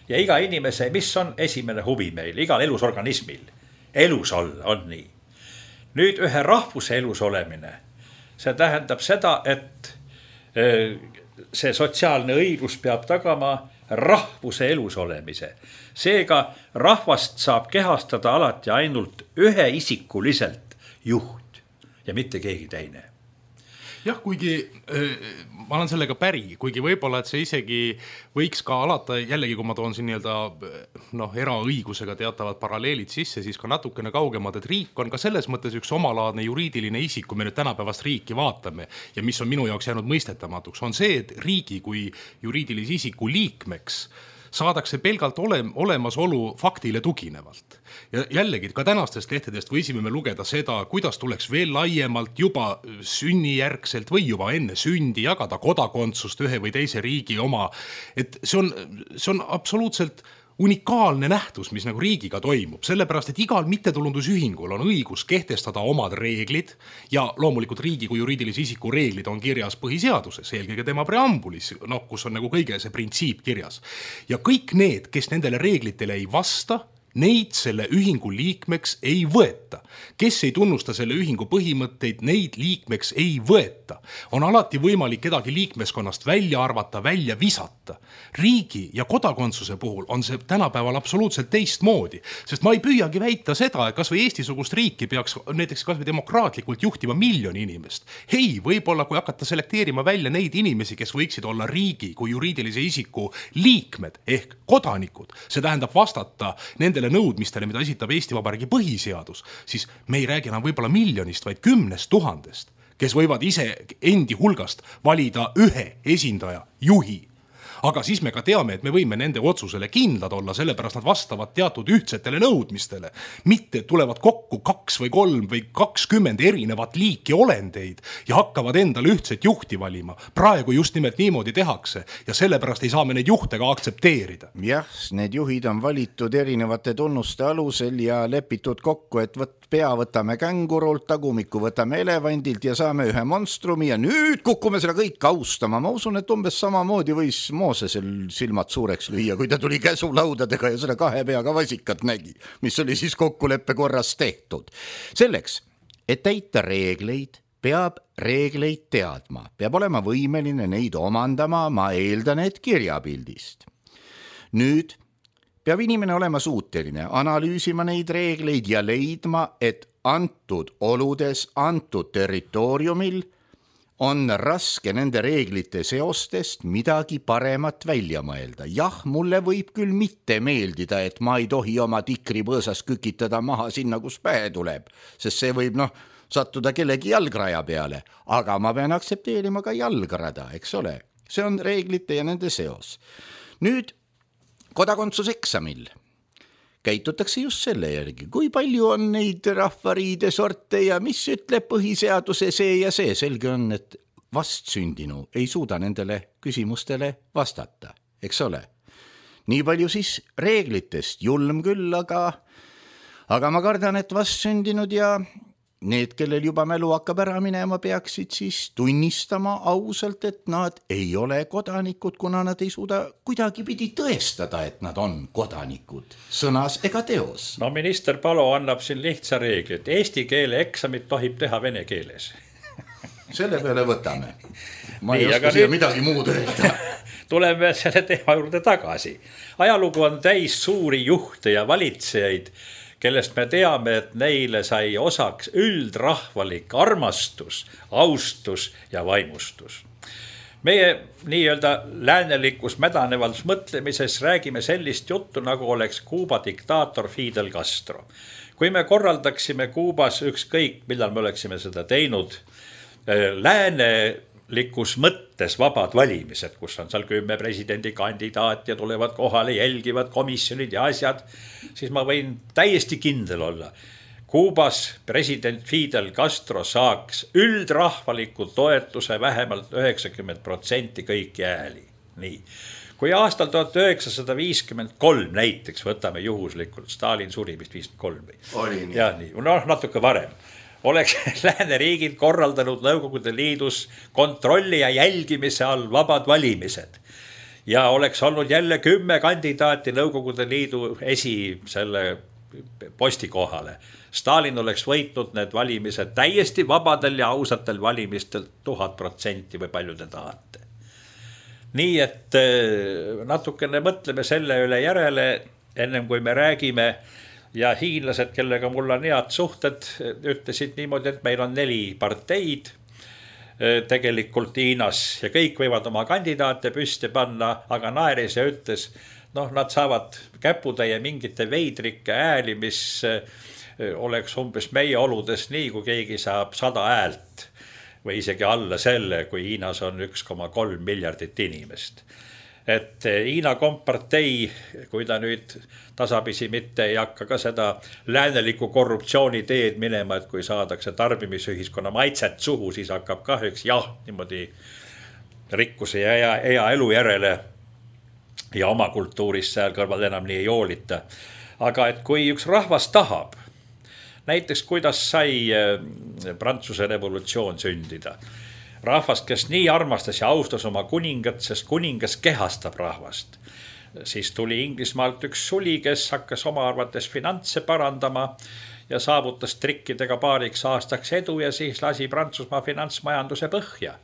ja iga inimese, mis on esimene huvi meil, igal elusorganismil, elus olla on nii. Nüüd ühe rahvuse elus olemine, see tähendab seda, et see sotsiaalne õiglus peab tagama rahvuse elus olemise. Seega rahvast saab kehastada alati ainult ühe isikuliselt juht ja mitte keegi teine. Jah, kuigi ma olen sellega päri, kuigi võib-olla, et see isegi võiks ka alata, jällegi kui ma toon siin eraõigusega teatavad paralleelid sisse, siis ka natukene kaugemad, et riik on ka selles mõttes üks omalaadne juriidiline isik, kui me nüüd tänapäevast riiki vaatame ja mis on minu jaoks jäänud mõistetamatuks, on see, et riigi kui juriidilise isiku liikmeks saadakse pelgalt olemasolu faktile tuginevalt. Ja jällegi, ka tänastest lehtedest võisime me lugeda seda, kuidas tuleks veel laiemalt juba sünnijärgselt või juba enne sündi jagada kodakondsust ühe või teise riigi oma. Et see on absoluutselt unikaalne nähtus, mis nagu riigiga toimub, sellepärast, et igal mittetulundusühingul on õigus kehtestada omad reeglid ja loomulikult riigi kui juriidilise isiku reeglid on kirjas põhiseaduses, eelkõige tema preambulis, kus on nagu kõige see printsiip kirjas. Ja kõik need, kes nendele reeglitele ei vasta, neid selle ühingu liikmeks ei võeta. Kes ei tunnusta selle ühingu põhimõtteid, neid liikmeks ei võeta. On alati võimalik kedagi liikmeskonnast välja arvata, välja visata. Riigi ja kodakondsuse puhul on see tänapäeval absoluutselt teistmoodi, sest ma ei püüagi väita seda, et kas või Eesti-sugust riiki peaks näiteks kas või demokraatlikult juhtima 1 miljon inimest. Hei, võib-olla kui hakata selekteerima välja neid inimesi, kes võiksid olla riigi kui juriidilise isiku liikmed ehk kodanikud, see tähendab vastata nendele nõudmistele, mida esitab Eesti Vabariigi põhiseadus, siis me ei räägi enam võib-olla 1 miljonist, vaid 10 000, kes võivad ise endi hulgast valida ühe esindaja, juhi. Aga siis me ka teame, et me võime nende otsusele kindlad olla, sellepärast nad vastavad teatud ühtsetele nõudmistele. Mitte tulevad kokku 2 või 3 või 20 erinevat liiki olendeid ja hakkavad endale ühtset juhti valima. Praegu just nimelt niimoodi tehakse ja sellepärast ei saa me neid juhte ka aktsepteerida. Jah, need juhid on valitud erinevate tunnuste alusel ja lepitud kokku, et pea võtame kängurult, tagumiku võtame elevandilt ja saame ühe monstrumi ja nüüd kukume seda kõik austama. Ma usun, et umbes samamoodi võis Moosesel silmad suureks lüüa, kui ta tuli käsulaudadega ja seda 2 peaga vasikat nägi, mis oli siis kokkuleppe korras tehtud. Selleks, et täita reegleid, peab reegleid teadma, peab olema võimeline neid omandama, ma eeldan, et kirjapildist. Nüüd peab inimene olema suuteline analüüsima neid reegleid ja leidma, et antud oludes, antud territooriumil on raske nende reeglite seostest midagi paremat välja mõelda. Jah, mulle võib küll mitte meeldida, et ma ei tohi oma tikripõõsas kükitada maha sinna, kus pähe tuleb, sest see võib sattuda kellegi jalgraja peale, aga ma pean aktsepteerima ka jalgrada, eks ole. See on reeglite ja nende seos. Nüüd kodakondsuseksamil käitutakse just selle järgi, kui palju on neid rahvariide sorte ja mis ütleb põhiseaduse see ja see. Selge on, et vastsündinu ei suuda nendele küsimustele vastata, eks ole. Nii palju siis reeglitest, julm küll, aga ma kardan, et vastsündinud ja need, kellel juba mälu hakkab ära minema, peaksid siis tunnistama ausalt, et nad ei ole kodanikud, kuna nad ei suuda kuidagipidi tõestada, et nad on kodanikud sõnas ega teos. No minister Palo annab siin lihtsa reegli, et eesti keele eksamit tohib teha vene keeles. Selle peale võtame. Ma ei oska siia midagi muud öelda. Tuleme selle teema juurde tagasi. Ajalugu on täis suuri juhte ja valitsejaid, kellest me teame, et neile sai osaks üldrahvalik armastus, austus ja vaimustus. Meie nii-öelda läänelikus mädanevals mõtlemises räägime sellist juttu, nagu oleks Kuuba diktaator Fidel Castro. Kui me korraldaksime Kuubas ükskõik, millal me oleksime seda teinud, läänelikus mõttes vabad valimised, kus on seal 10 presidendikandidaat ja tulevad kohale, jälgivad komisjonid ja asjad, siis ma võin täiesti kindel olla. Kuubas president Fidel Castro saaks üldrahvaliku toetuse vähemalt 90% kõiki hääli. Nii. Kui aastal 1953 näiteks, võtame juhuslikult, Stalin suri vist 53. Oli nii. Ja nii, natuke varem. Oleks lääneriigid korraldanud Nõukogude Liidus kontrolli ja jälgimise all vabad valimised. Ja oleks olnud jälle 10 kandidaati Nõukogude Liidu selle posti kohale. Stalin oleks võitnud need valimised täiesti vabadel ja ausatel valimistel 1000% või palju te tahate. Nii et natukene mõtleme selle üle järele, ennem kui me räägime. Ja hiinlased, kellega mul on head suhted, ütlesid niimoodi, et meil on 4 parteid tegelikult Hiinas ja kõik võivad oma kandidaate püsti panna, aga naeris ja ütles, nad saavad käputäie mingite veidrike hääli, mis oleks umbes meie oludes nii, kui keegi saab 100 häält või isegi alla selle, kui Hiinas on 1,3 miljardit inimest. Et Hiina kompartei, kui ta nüüd tasapisi mitte ei hakka ka seda lääneliku korruptsiooni teed minema, et kui saadakse tarbimisühiskonna maitset suhu, siis hakkab kahjuks niimoodi rikkuse ja hea elu järele ja oma kultuuris seal kõrval enam nii ei hoolita. Aga et kui üks rahvas tahab, näiteks kuidas sai Prantsuse revolutsioon sündida, rahvast, kes nii armastas ja austas oma kuningat, sest kuningas kehastab rahvast. Siis tuli Inglismaalt üks suli, kes hakkas oma arvates finantse parandama ja saavutas trikkidega paariks aastaks edu ja siis lasi Prantsusmaa finantsmajanduse põhja.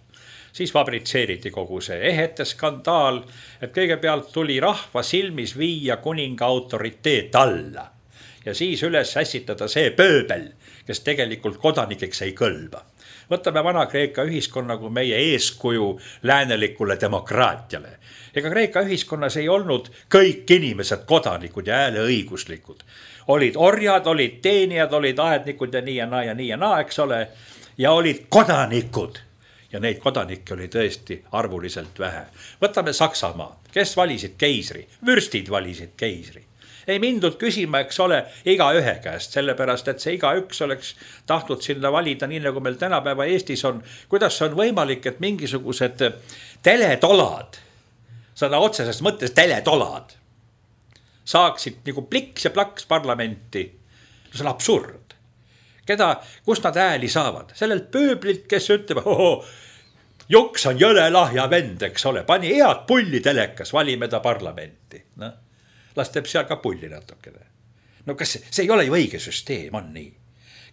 Siis fabritseeriti kogu see ehete skandaal, et kõigepealt tuli rahva silmis viia kuninga autoriteet alla ja siis üles ässitada see pööbel, kes tegelikult kodanikeks ei kõlba. Võtame Vana-Kreeka ühiskonna kui meie eeskuju läänelikule demokraatiale. Ega Kreeka ühiskonnas ei olnud kõik inimesed kodanikud ja hääleõiguslikud. Olid orjad, olid teenijad, olid aednikud ja nii ja naa ja nii ja naa, eks ole, ja olid kodanikud. Ja neid kodanikke oli tõesti arvuliselt vähe. Võtame Saksamaa, kes valisid keisri, vürstid valisid keisri. Ei mindud küsima, eks ole, iga ühe käest, sellepärast, et see iga üks oleks tahtnud sinna valida, nii nagu meil tänapäeva Eestis on. Kuidas on võimalik, et mingisugused teletolad, sõna otseses mõttes teletolad, saaksid nagu pliks ja plaks parlamenti? See on absurd. Kust nad hääli saavad? Sellelt pööblilt, kes ütleb, Juks on jõle lahja vend, eks ole, pani head pulli telekas, valime ta parlamenti. Las teeb seal ka pulli natukene. No kas see ei ole ju õige süsteem, on nii?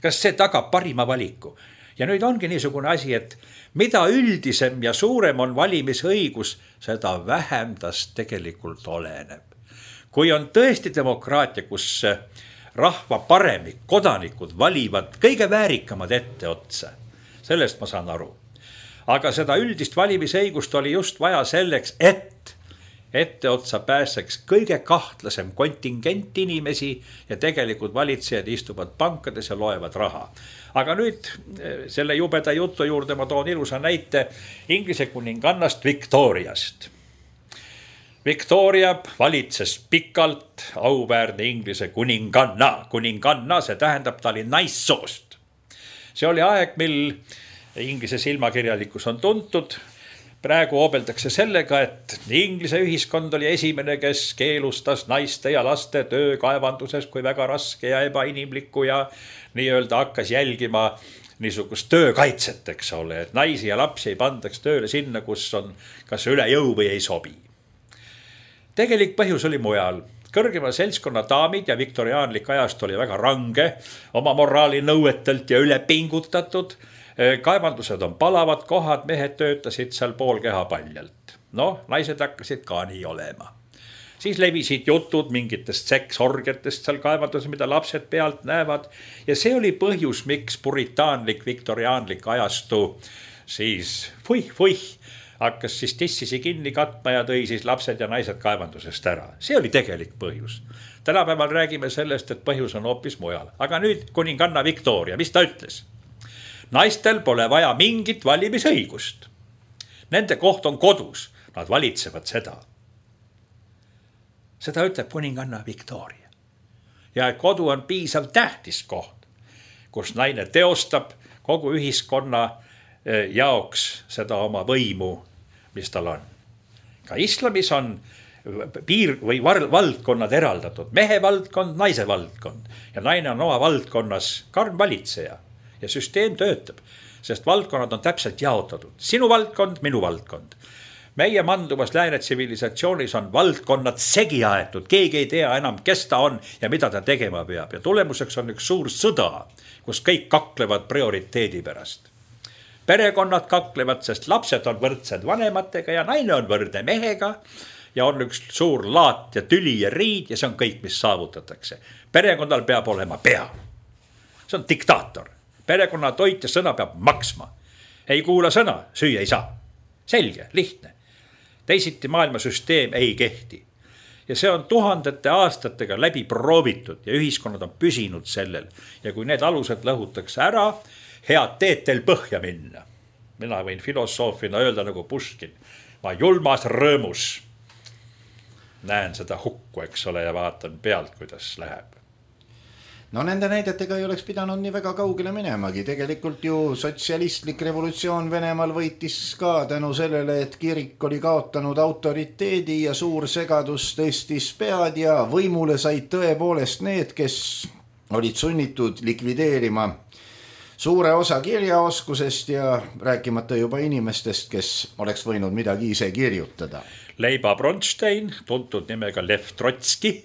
Kas see tagab parima valiku? Ja nüüd ongi niisugune asi, et mida üldisem ja suurem on valimisõigus, seda vähem tast tegelikult oleneb. Kui on tõesti demokraatia, kus rahva paremik, kodanikud valivad kõige väärikamad ette otsa, sellest ma saan aru. Aga seda üldist valimisõigust oli just vaja selleks, et etteotsa pääseks kõige kahtlasem kontingent inimesi ja tegelikult valitsejad istuvad pankades ja loevad raha. Aga nüüd selle jubeda jutu juurde ma toon ilusa näite Inglise kuningannast Victoriast. Victoria valitses pikalt auväärne Inglise kuninganna. Kuninganna, see tähendab, ta oli naissoost. See oli aeg, mil Inglise silmakirjalikkus on tuntud. praegu hoobeldakse sellega, et Inglise ühiskond oli esimene, kes keelustas naiste ja laste töö kaevanduses kui väga raske ja ebainimlikku ja nii-öelda hakkas jälgima niisugust töökaitset, eks ole, et naisi ja lapsi ei pandaks tööle sinna, kus on kas üle jõu või ei sobi. Tegelik põhjus oli mujal. Kõrgema seltskonna daamid ja viktoriaanlik ajast oli väga range, oma moraali nõuetelt ja üle pingutatud. Kaevandused on palavad kohad, mehed töötasid seal pool keha paljalt. Naised hakkasid ka nii olema. Siis levisid jutud mingitest seksorgetest seal kaevanduses, mida lapsed pealt näevad. Ja see oli põhjus, miks puritaanlik, viktoriaanlik ajastu siis hakkas siis tissisi kinni katma ja tõi siis lapsed ja naised kaevandusest ära. See oli tegelik põhjus. Tänapäeval räägime sellest, et põhjus on hoopis mujal. Aga nüüd kuninganna Victoria, mis ta ütles? Naistel pole vaja mingit valimisõigust. Nende koht on kodus, nad valitsevad seda. Seda ütleb kuninganna Victoria. Ja et kodu on piisav tähtis koht, kus naine teostab kogu ühiskonna jaoks seda oma võimu, mis tal on. Ka islamis on piir või valdkonnad eraldatud, mehe valdkond, naise valdkond ja naine on oma valdkonnas karm valitseja. Ja süsteem töötab, sest valdkonnad on täpselt jaotatud. Sinu valdkond, minu valdkond. Meie manduvas lääne tsivilisatsioonis on valdkonnad segi aetud. Keegi ei tea enam, kes ta on ja mida ta tegema peab. Ja tulemuseks on üks suur sõda, kus kõik kaklevad prioriteedi pärast. Perekonnad kaklevad, sest lapsed on võrdsed vanematega ja naine on võrdne mehega. Ja on üks suur laat ja tüli ja riid ja see on kõik, mis saavutatakse. Perekonnal peab olema pea. See on diktaator. Perekonna toit ja sõna peab maksma. Ei kuula sõna, süüa ei saa. Selge, lihtne. Teisiti maailmasüsteem ei kehti. Ja see on tuhandete aastatega läbi proovitud ja ühiskonnad on püsinud sellel. Ja kui need alused lõhutakse ära, head teed teil põhja minna. Mina võin filosoofina öelda nagu Puškin. Ma julmas rõõmus näen seda hukku, eks ole, ja vaatan pealt, kuidas läheb. Nende näidetega ei oleks pidanud nii väga kaugele minemagi. Tegelikult ju sotsialistlik revolutsioon Venemaal võitis ka tänu sellele, et kirik oli kaotanud autoriteedi ja suur segadus tõstis pead ja võimule said tõepoolest need, kes olid sunnitud likvideerima suure osa kirjaoskusest ja rääkimata juba inimestest, kes oleks võinud midagi ise kirjutada. Leiba Bronstein, tuntud nimega Lev Trotski,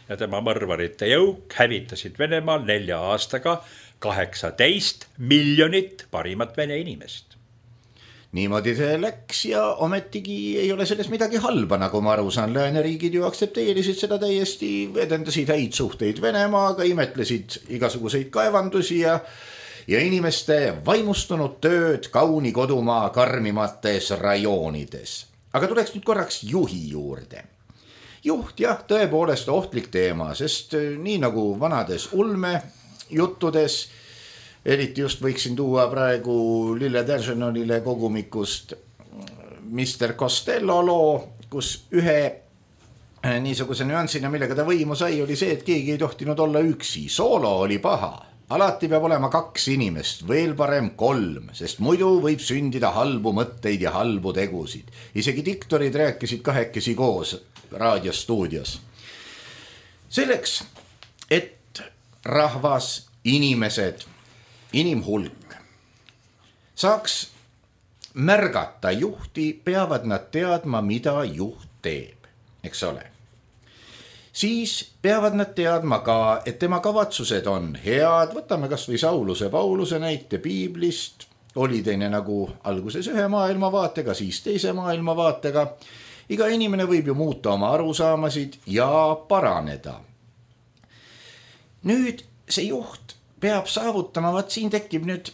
ja tema mõrvarite jõuk hävitasid Venemaal 4 aastaga 18 miljonit parimat vene inimest. Niimoodi see läks ja ometigi ei ole selles midagi halba, nagu ma aru saan. Lääneriigid ju aktsepteerisid seda täiesti, edendasid häid suhteid Venemaaga, imetlesid igasuguseid kaevandusi ja inimeste vaimustunud tööd kauni kodumaa karmimates rajoonides. Aga tuleks nüüd korraks juhi juurde. Juht jah, tõepoolest ohtlik teema, sest nii nagu vanades ulme juttudes, eriti just võiksin tuua praegu Lille Deržanonile kogumikust Mr. Costello loo, kus ühe niisuguse nüansina, millega ta võimu sai, oli see, et keegi ei tohtinud olla üksi. Soolo oli paha. Alati peab olema 2 inimest, veel parem 3, sest muidu võib sündida halbu mõtteid ja halbu tegusid. Isegi diktorid rääkisid 2 koos raadiostuudios. Selleks, et rahvas, inimesed, inimhulk saaks märgata juhti, peavad nad teadma, mida juht teeb, eks ole. Siis peavad nad teadma ka, et tema kavatsused on head. Võtame kas või Sauluse Pauluse näite piiblist. Oli teine nagu alguses ühe maailmavaatega, siis teise maailmavaatega. Iga inimene võib ju muuta oma arusaamasid ja paraneda. Nüüd see juht peab saavutama, siin tekib nüüd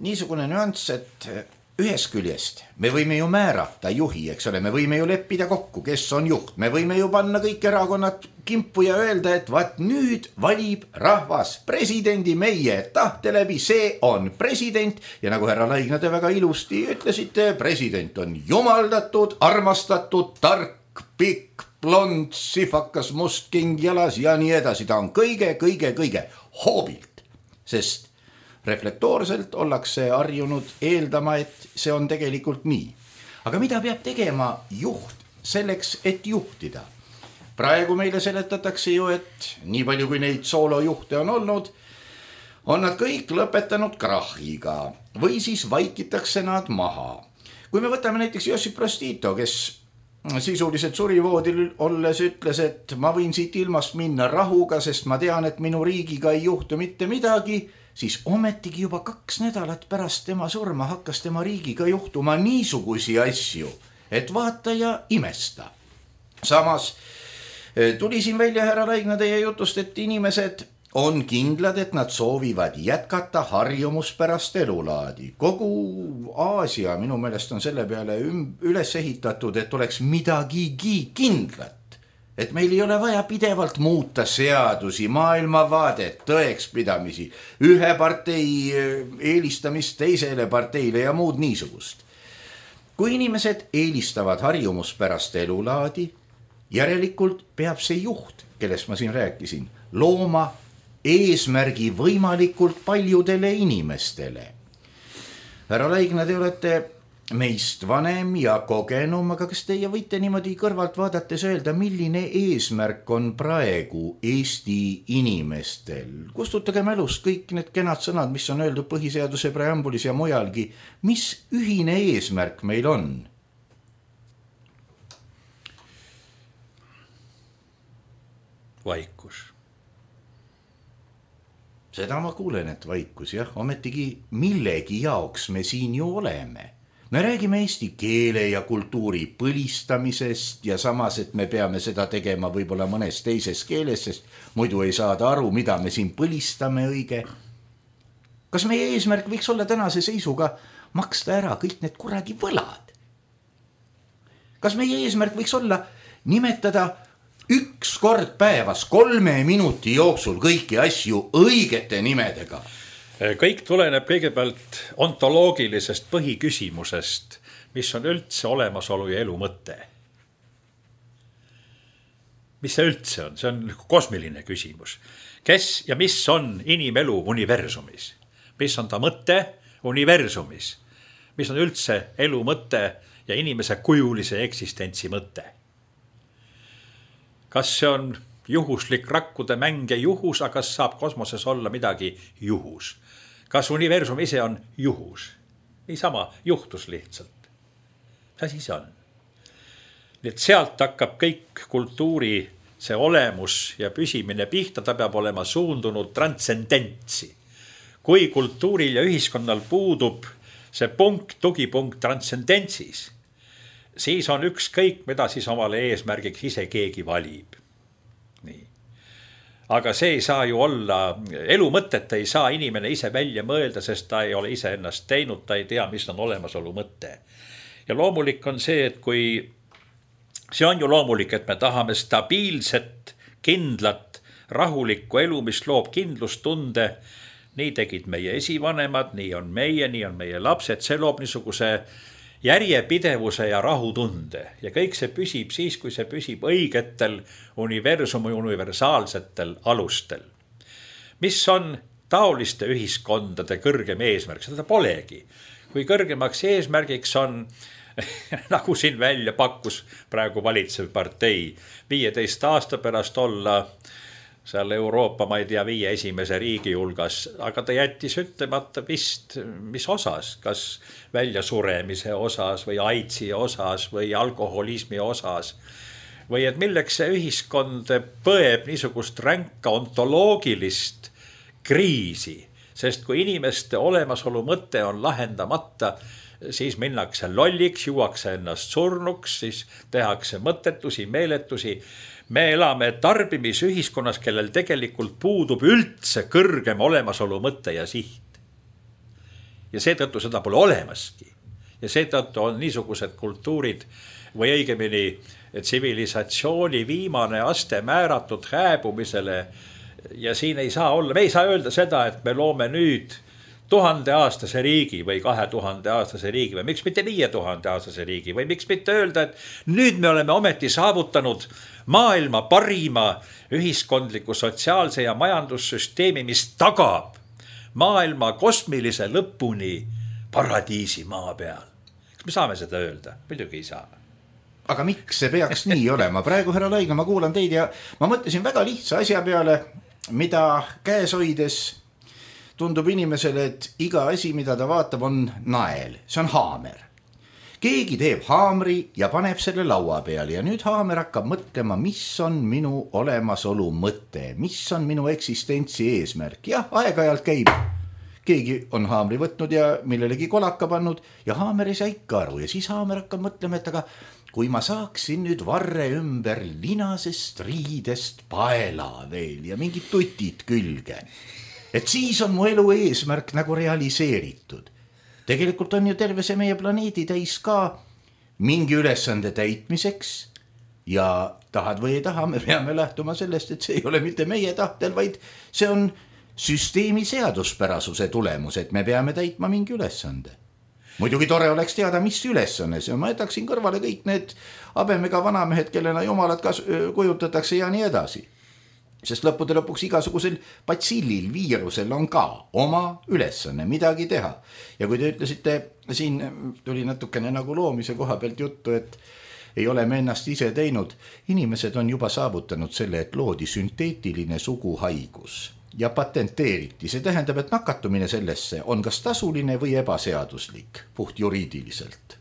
niisugune nüanss, et ühest küljest me võime ju määrata juhi, eks ole, me võime ju leppida kokku, kes on juht. Me võime ju panna kõik erakonnad kimpu ja öelda, et vaat nüüd valib rahvas presidendi meie tahte läbi, see on president. Ja nagu härra Laigna te väga ilusti ütlesite, president on jumaldatud, armastatud, tark, pikk, blond, sifakas, must king jalas ja nii edasi. Ta on kõige hoobilt, sest reflektoorselt ollakse harjunud eeldama, et see on tegelikult nii. aga mida peab tegema juht selleks, et juhtida? Praegu meile seletatakse ju, et nii palju kui neid soolojuhte on olnud, on nad kõik lõpetanud krahhiga või siis vaikitakse nad maha. Kui me võtame näiteks Josip Broz Tito, kes sisuliselt surivoodil olles ütles, et ma võin siit ilmast minna rahuga, sest ma tean, et minu riigiga ei juhtu mitte midagi, siis ometigi juba 2 nädalat pärast tema surma hakkas tema riigiga juhtuma niisugusi asju, et vaata ja imesta. Samas tuli siin välja, härra Laigna, teie jutust, et inimesed on kindlad, et nad soovivad jätkata harjumuspärast elulaadi. Kogu Aasia minu meelest on selle peale üles ehitatud, et oleks midagigi kindlat. Et meil ei ole vaja pidevalt muuta seadusi, maailmavaadet, tõekspidamisi, ühe partei eelistamist teisele parteile ja muud niisugust. Kui inimesed eelistavad harjumuspärast elulaadi, järelikult peab see juht, kellest ma siin rääkisin, looma eesmärgi võimalikult paljudele inimestele. Härra Laigna, te olete meist vanem ja kogenum, aga kas teie võite niimoodi kõrvalt vaadates öelda, milline eesmärk on praegu Eesti inimestel? Kustutage mälust kõik need kenad sõnad, mis on öeldud põhiseaduse preambulis ja mujalgi. Mis ühine eesmärk meil on? Vaikus. Seda ma kuulen, et vaikus, jah, ometigi millegi jaoks me siin ju oleme. Me räägime eesti keele ja kultuuri põlistamisest ja samas, et me peame seda tegema võib-olla mõnes teises keeles, sest muidu ei saada aru, mida me siin põlistame õige. Kas meie eesmärk võiks olla tänase seisuga maksta ära kõik need kuradi võlad? Kas meie eesmärk võiks olla nimetada 1 kord päevas 3 minuti jooksul kõiki asju õigete nimedega? Kõik tuleneb kõigepealt ontoloogilisest põhiküsimusest, mis on üldse olemasolu ja elu mõte. Mis see üldse on? See on kosmiline küsimus. Kes ja mis on inimelu universumis? Mis on ta mõte universumis? Mis on üldse elu mõte ja inimese kujulise eksistentsi mõte? Kas see on juhuslik rakkude mäng ja juhus, aga kas saab kosmoses olla midagi juhus? Kas universum ise on juhus? Niisama juhtus lihtsalt. Mis asi see on? Nii et sealt hakkab kõik kultuuri see olemus ja püsimine pihta, ta peab olema suundunud transcendentsi. Kui kultuuril ja ühiskonnal puudub see punkt, tugipunkt transcendentsis, siis on ükskõik, mida siis omale eesmärgiks ise keegi valib. Nii. Aga see ei saa ju olla, elu mõtet ei saa inimene ise välja mõelda, sest ta ei ole ise ennast teinud, ta ei tea, mis on olemasolu mõte. Ja loomulik on see, et kui see on ju loomulik, et me tahame stabiilset, kindlat, rahulikku elu, mis loob kindlustunde, nii tegid meie esivanemad, nii on meie lapsed, see loob niisuguse järjepidevuse ja rahutunde ja kõik see püsib siis, kui see püsib õigetel universumi universaalsetel alustel. Mis on taoliste ühiskondade kõrgem eesmärk? Seda polegi. Kui kõrgemaks eesmärgiks on, nagu siin välja pakkus praegu valitsev partei, 15 aasta pärast olla seal Euroopa, ma ei tea, 5 esimese riigi hulgas, aga ta jättis ütlemata vist, mis osas, kas väljasuremise osas või AIDSi osas või alkoholismi osas. Või et milleks see ühiskond põeb niisugust ränka ontoloogilist kriisi, sest kui inimeste olemasolu mõte on lahendamata, siis minnakse lolliks, juuakse ennast surnuks, siis tehakse mõttetusi, meeletusi. Me elame tarbimisühiskonnas, kellel tegelikult puudub üldse kõrgem olemasolu mõte ja siht. Ja seetõttu seda pole olemaski. Ja seetõttu on niisugused kultuurid või õigemini tsivilisatsiooni viimane aste määratud hääbumisele. Ja siin ei saa olla, me ei saa öelda seda, et me loome nüüd 1000-aastase riigi või 2000-aastase riigi või miks mitte 5000-aastase riigi või miks mitte öelda, et nüüd me oleme ometi saavutanud maailma parima ühiskondliku, sotsiaalse ja majandussüsteemi, mis tagab maailma kosmilise lõpuni paradiisi maa peal. me saame seda öelda? Muidugi ei saa. Aga miks see peaks nii olema? Praegu, härra Laigna, ma kuulan teid ja ma mõtlesin väga lihtsa asja peale, mida käes hoides tundub inimesele, et iga asi, mida ta vaatab, on nael. See on haamer. Keegi teeb haamri ja paneb selle laua peale ja nüüd haamer hakkab mõtlema, mis on minu olemasolu mõte, mis on minu eksistentsi eesmärk. Jah, aeg-ajalt käib. Keegi on haamri võtnud ja millelegi kolaka pannud ja haamer ei saa ikka aru ja siis haamer hakkab mõtlema, et aga kui ma saaksin nüüd varre ümber linasest riidest paela veel ja mingid tutid külge, et siis on mu elu eesmärk nagu realiseeritud. Tegelikult on ju terve see meie planeedi täis ka mingi ülesande täitmiseks ja tahad või ei taha, me peame lähtuma sellest, et see ei ole mitte meie tahtel, vaid see on süsteemi seaduspärasuse tulemus, et me peame täitma mingi ülesande. Muidugi tore oleks teada, mis ülesanne see on. Ma jätaksin kõrvale kõik need habemega vanamehed, kellena jumalad kujutatakse ja nii edasi. Sest lõppude lõpuks igasugusel batsillil, viirusel on ka oma ülesanne midagi teha. Ja kui te ütlesite, siin tuli natukene nagu loomise koha pealt juttu, et ei ole me ennast ise teinud. Inimesed on juba saavutanud selle, et loodi sünteetiline suguhaigus ja patenteeriti. See tähendab, et nakatumine sellesse on kas tasuline või ebaseaduslik, puht juriidiliselt.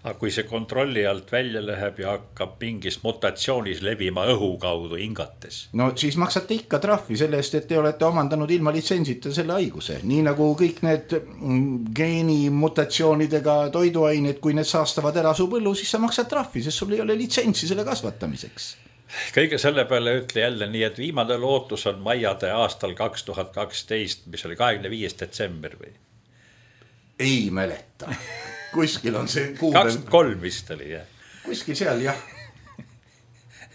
Aga kui see kontrolli alt välja läheb ja hakkab mingis mutatsioonis levima õhu kaudu hingates. No siis maksate ikka trahvi selle eest, et te olete omandanud ilma litsentsita selle haiguse. Nii nagu kõik need geenimutatsioonidega toiduained, kui need saastavad ära su põllu, siis sa maksad trahvi, sest sul ei ole litsentsi selle kasvatamiseks. Kõige selle peale ütle jälle nii, et viimane lootus on Maiade aastal 2012, mis oli 25. detsember või? Ei mäleta. Kuskil on see kuupäev. 23 vist oli, jah. Kuskil seal, jah.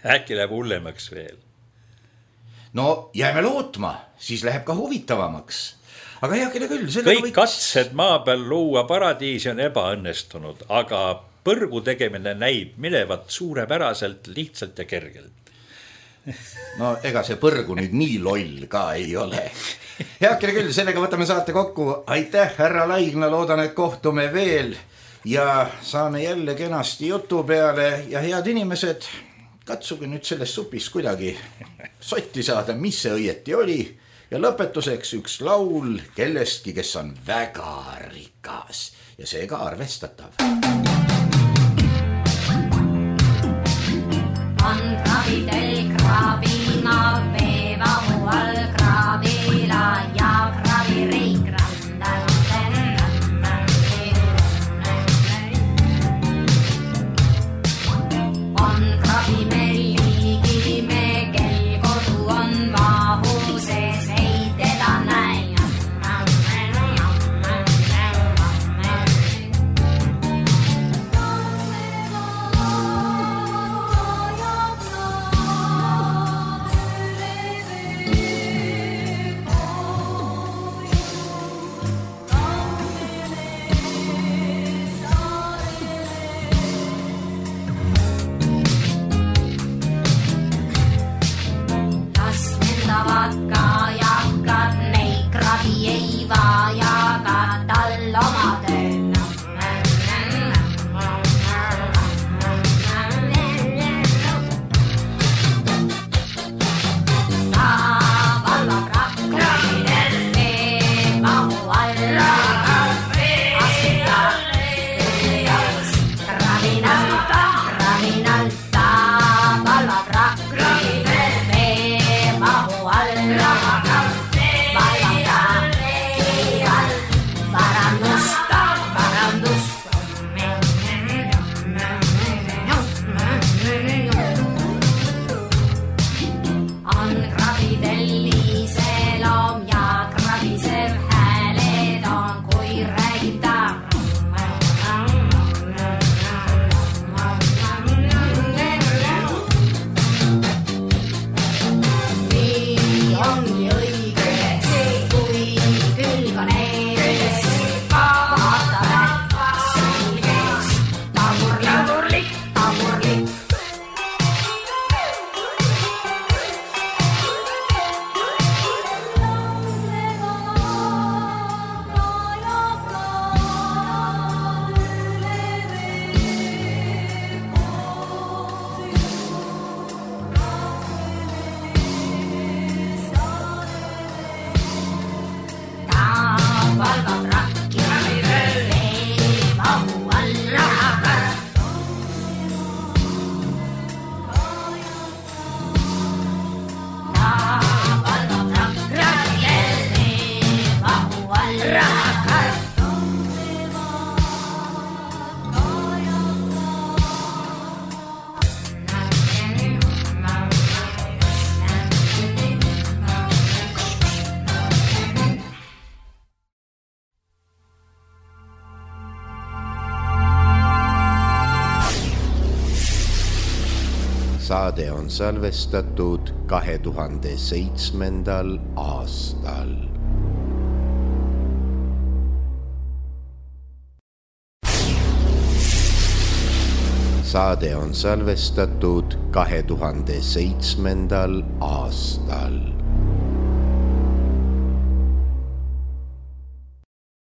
Äkki läheb hullemaks veel. No jääme lootma, siis läheb ka huvitavamaks. Aga heakene küll. Kõik katsed maa peal luua paradiisi on ebaõnnestunud, aga põrgu tegemine näib minevat suurepäraselt, lihtsalt ja kergelt. No ega see põrgu nüüd nii loll ka ei ole. Heakene küll, sellega võtame saate kokku. Aitäh, härra Laigna, loodan, et kohtume veel ja saame jälle kenasti jutu peale ja head inimesed, katsuge nüüd sellest supist kuidagi sotti saada, mis see õieti oli ja lõpetuseks üks laul kellestki, kes on väga rikas ja seega arvestatav. On kraabidel kraabina veevahu all kraabila ja kraabireik randal. On kraabimelliigi me, kel kodu on mahu sees, ei teda näe. valvab rakki, veevahu all rahakar. Ta valvab rakki, veevahu all rahakar. Saade on salvestatud 2007. aastal. Saade on salvestatud 2007. aastal.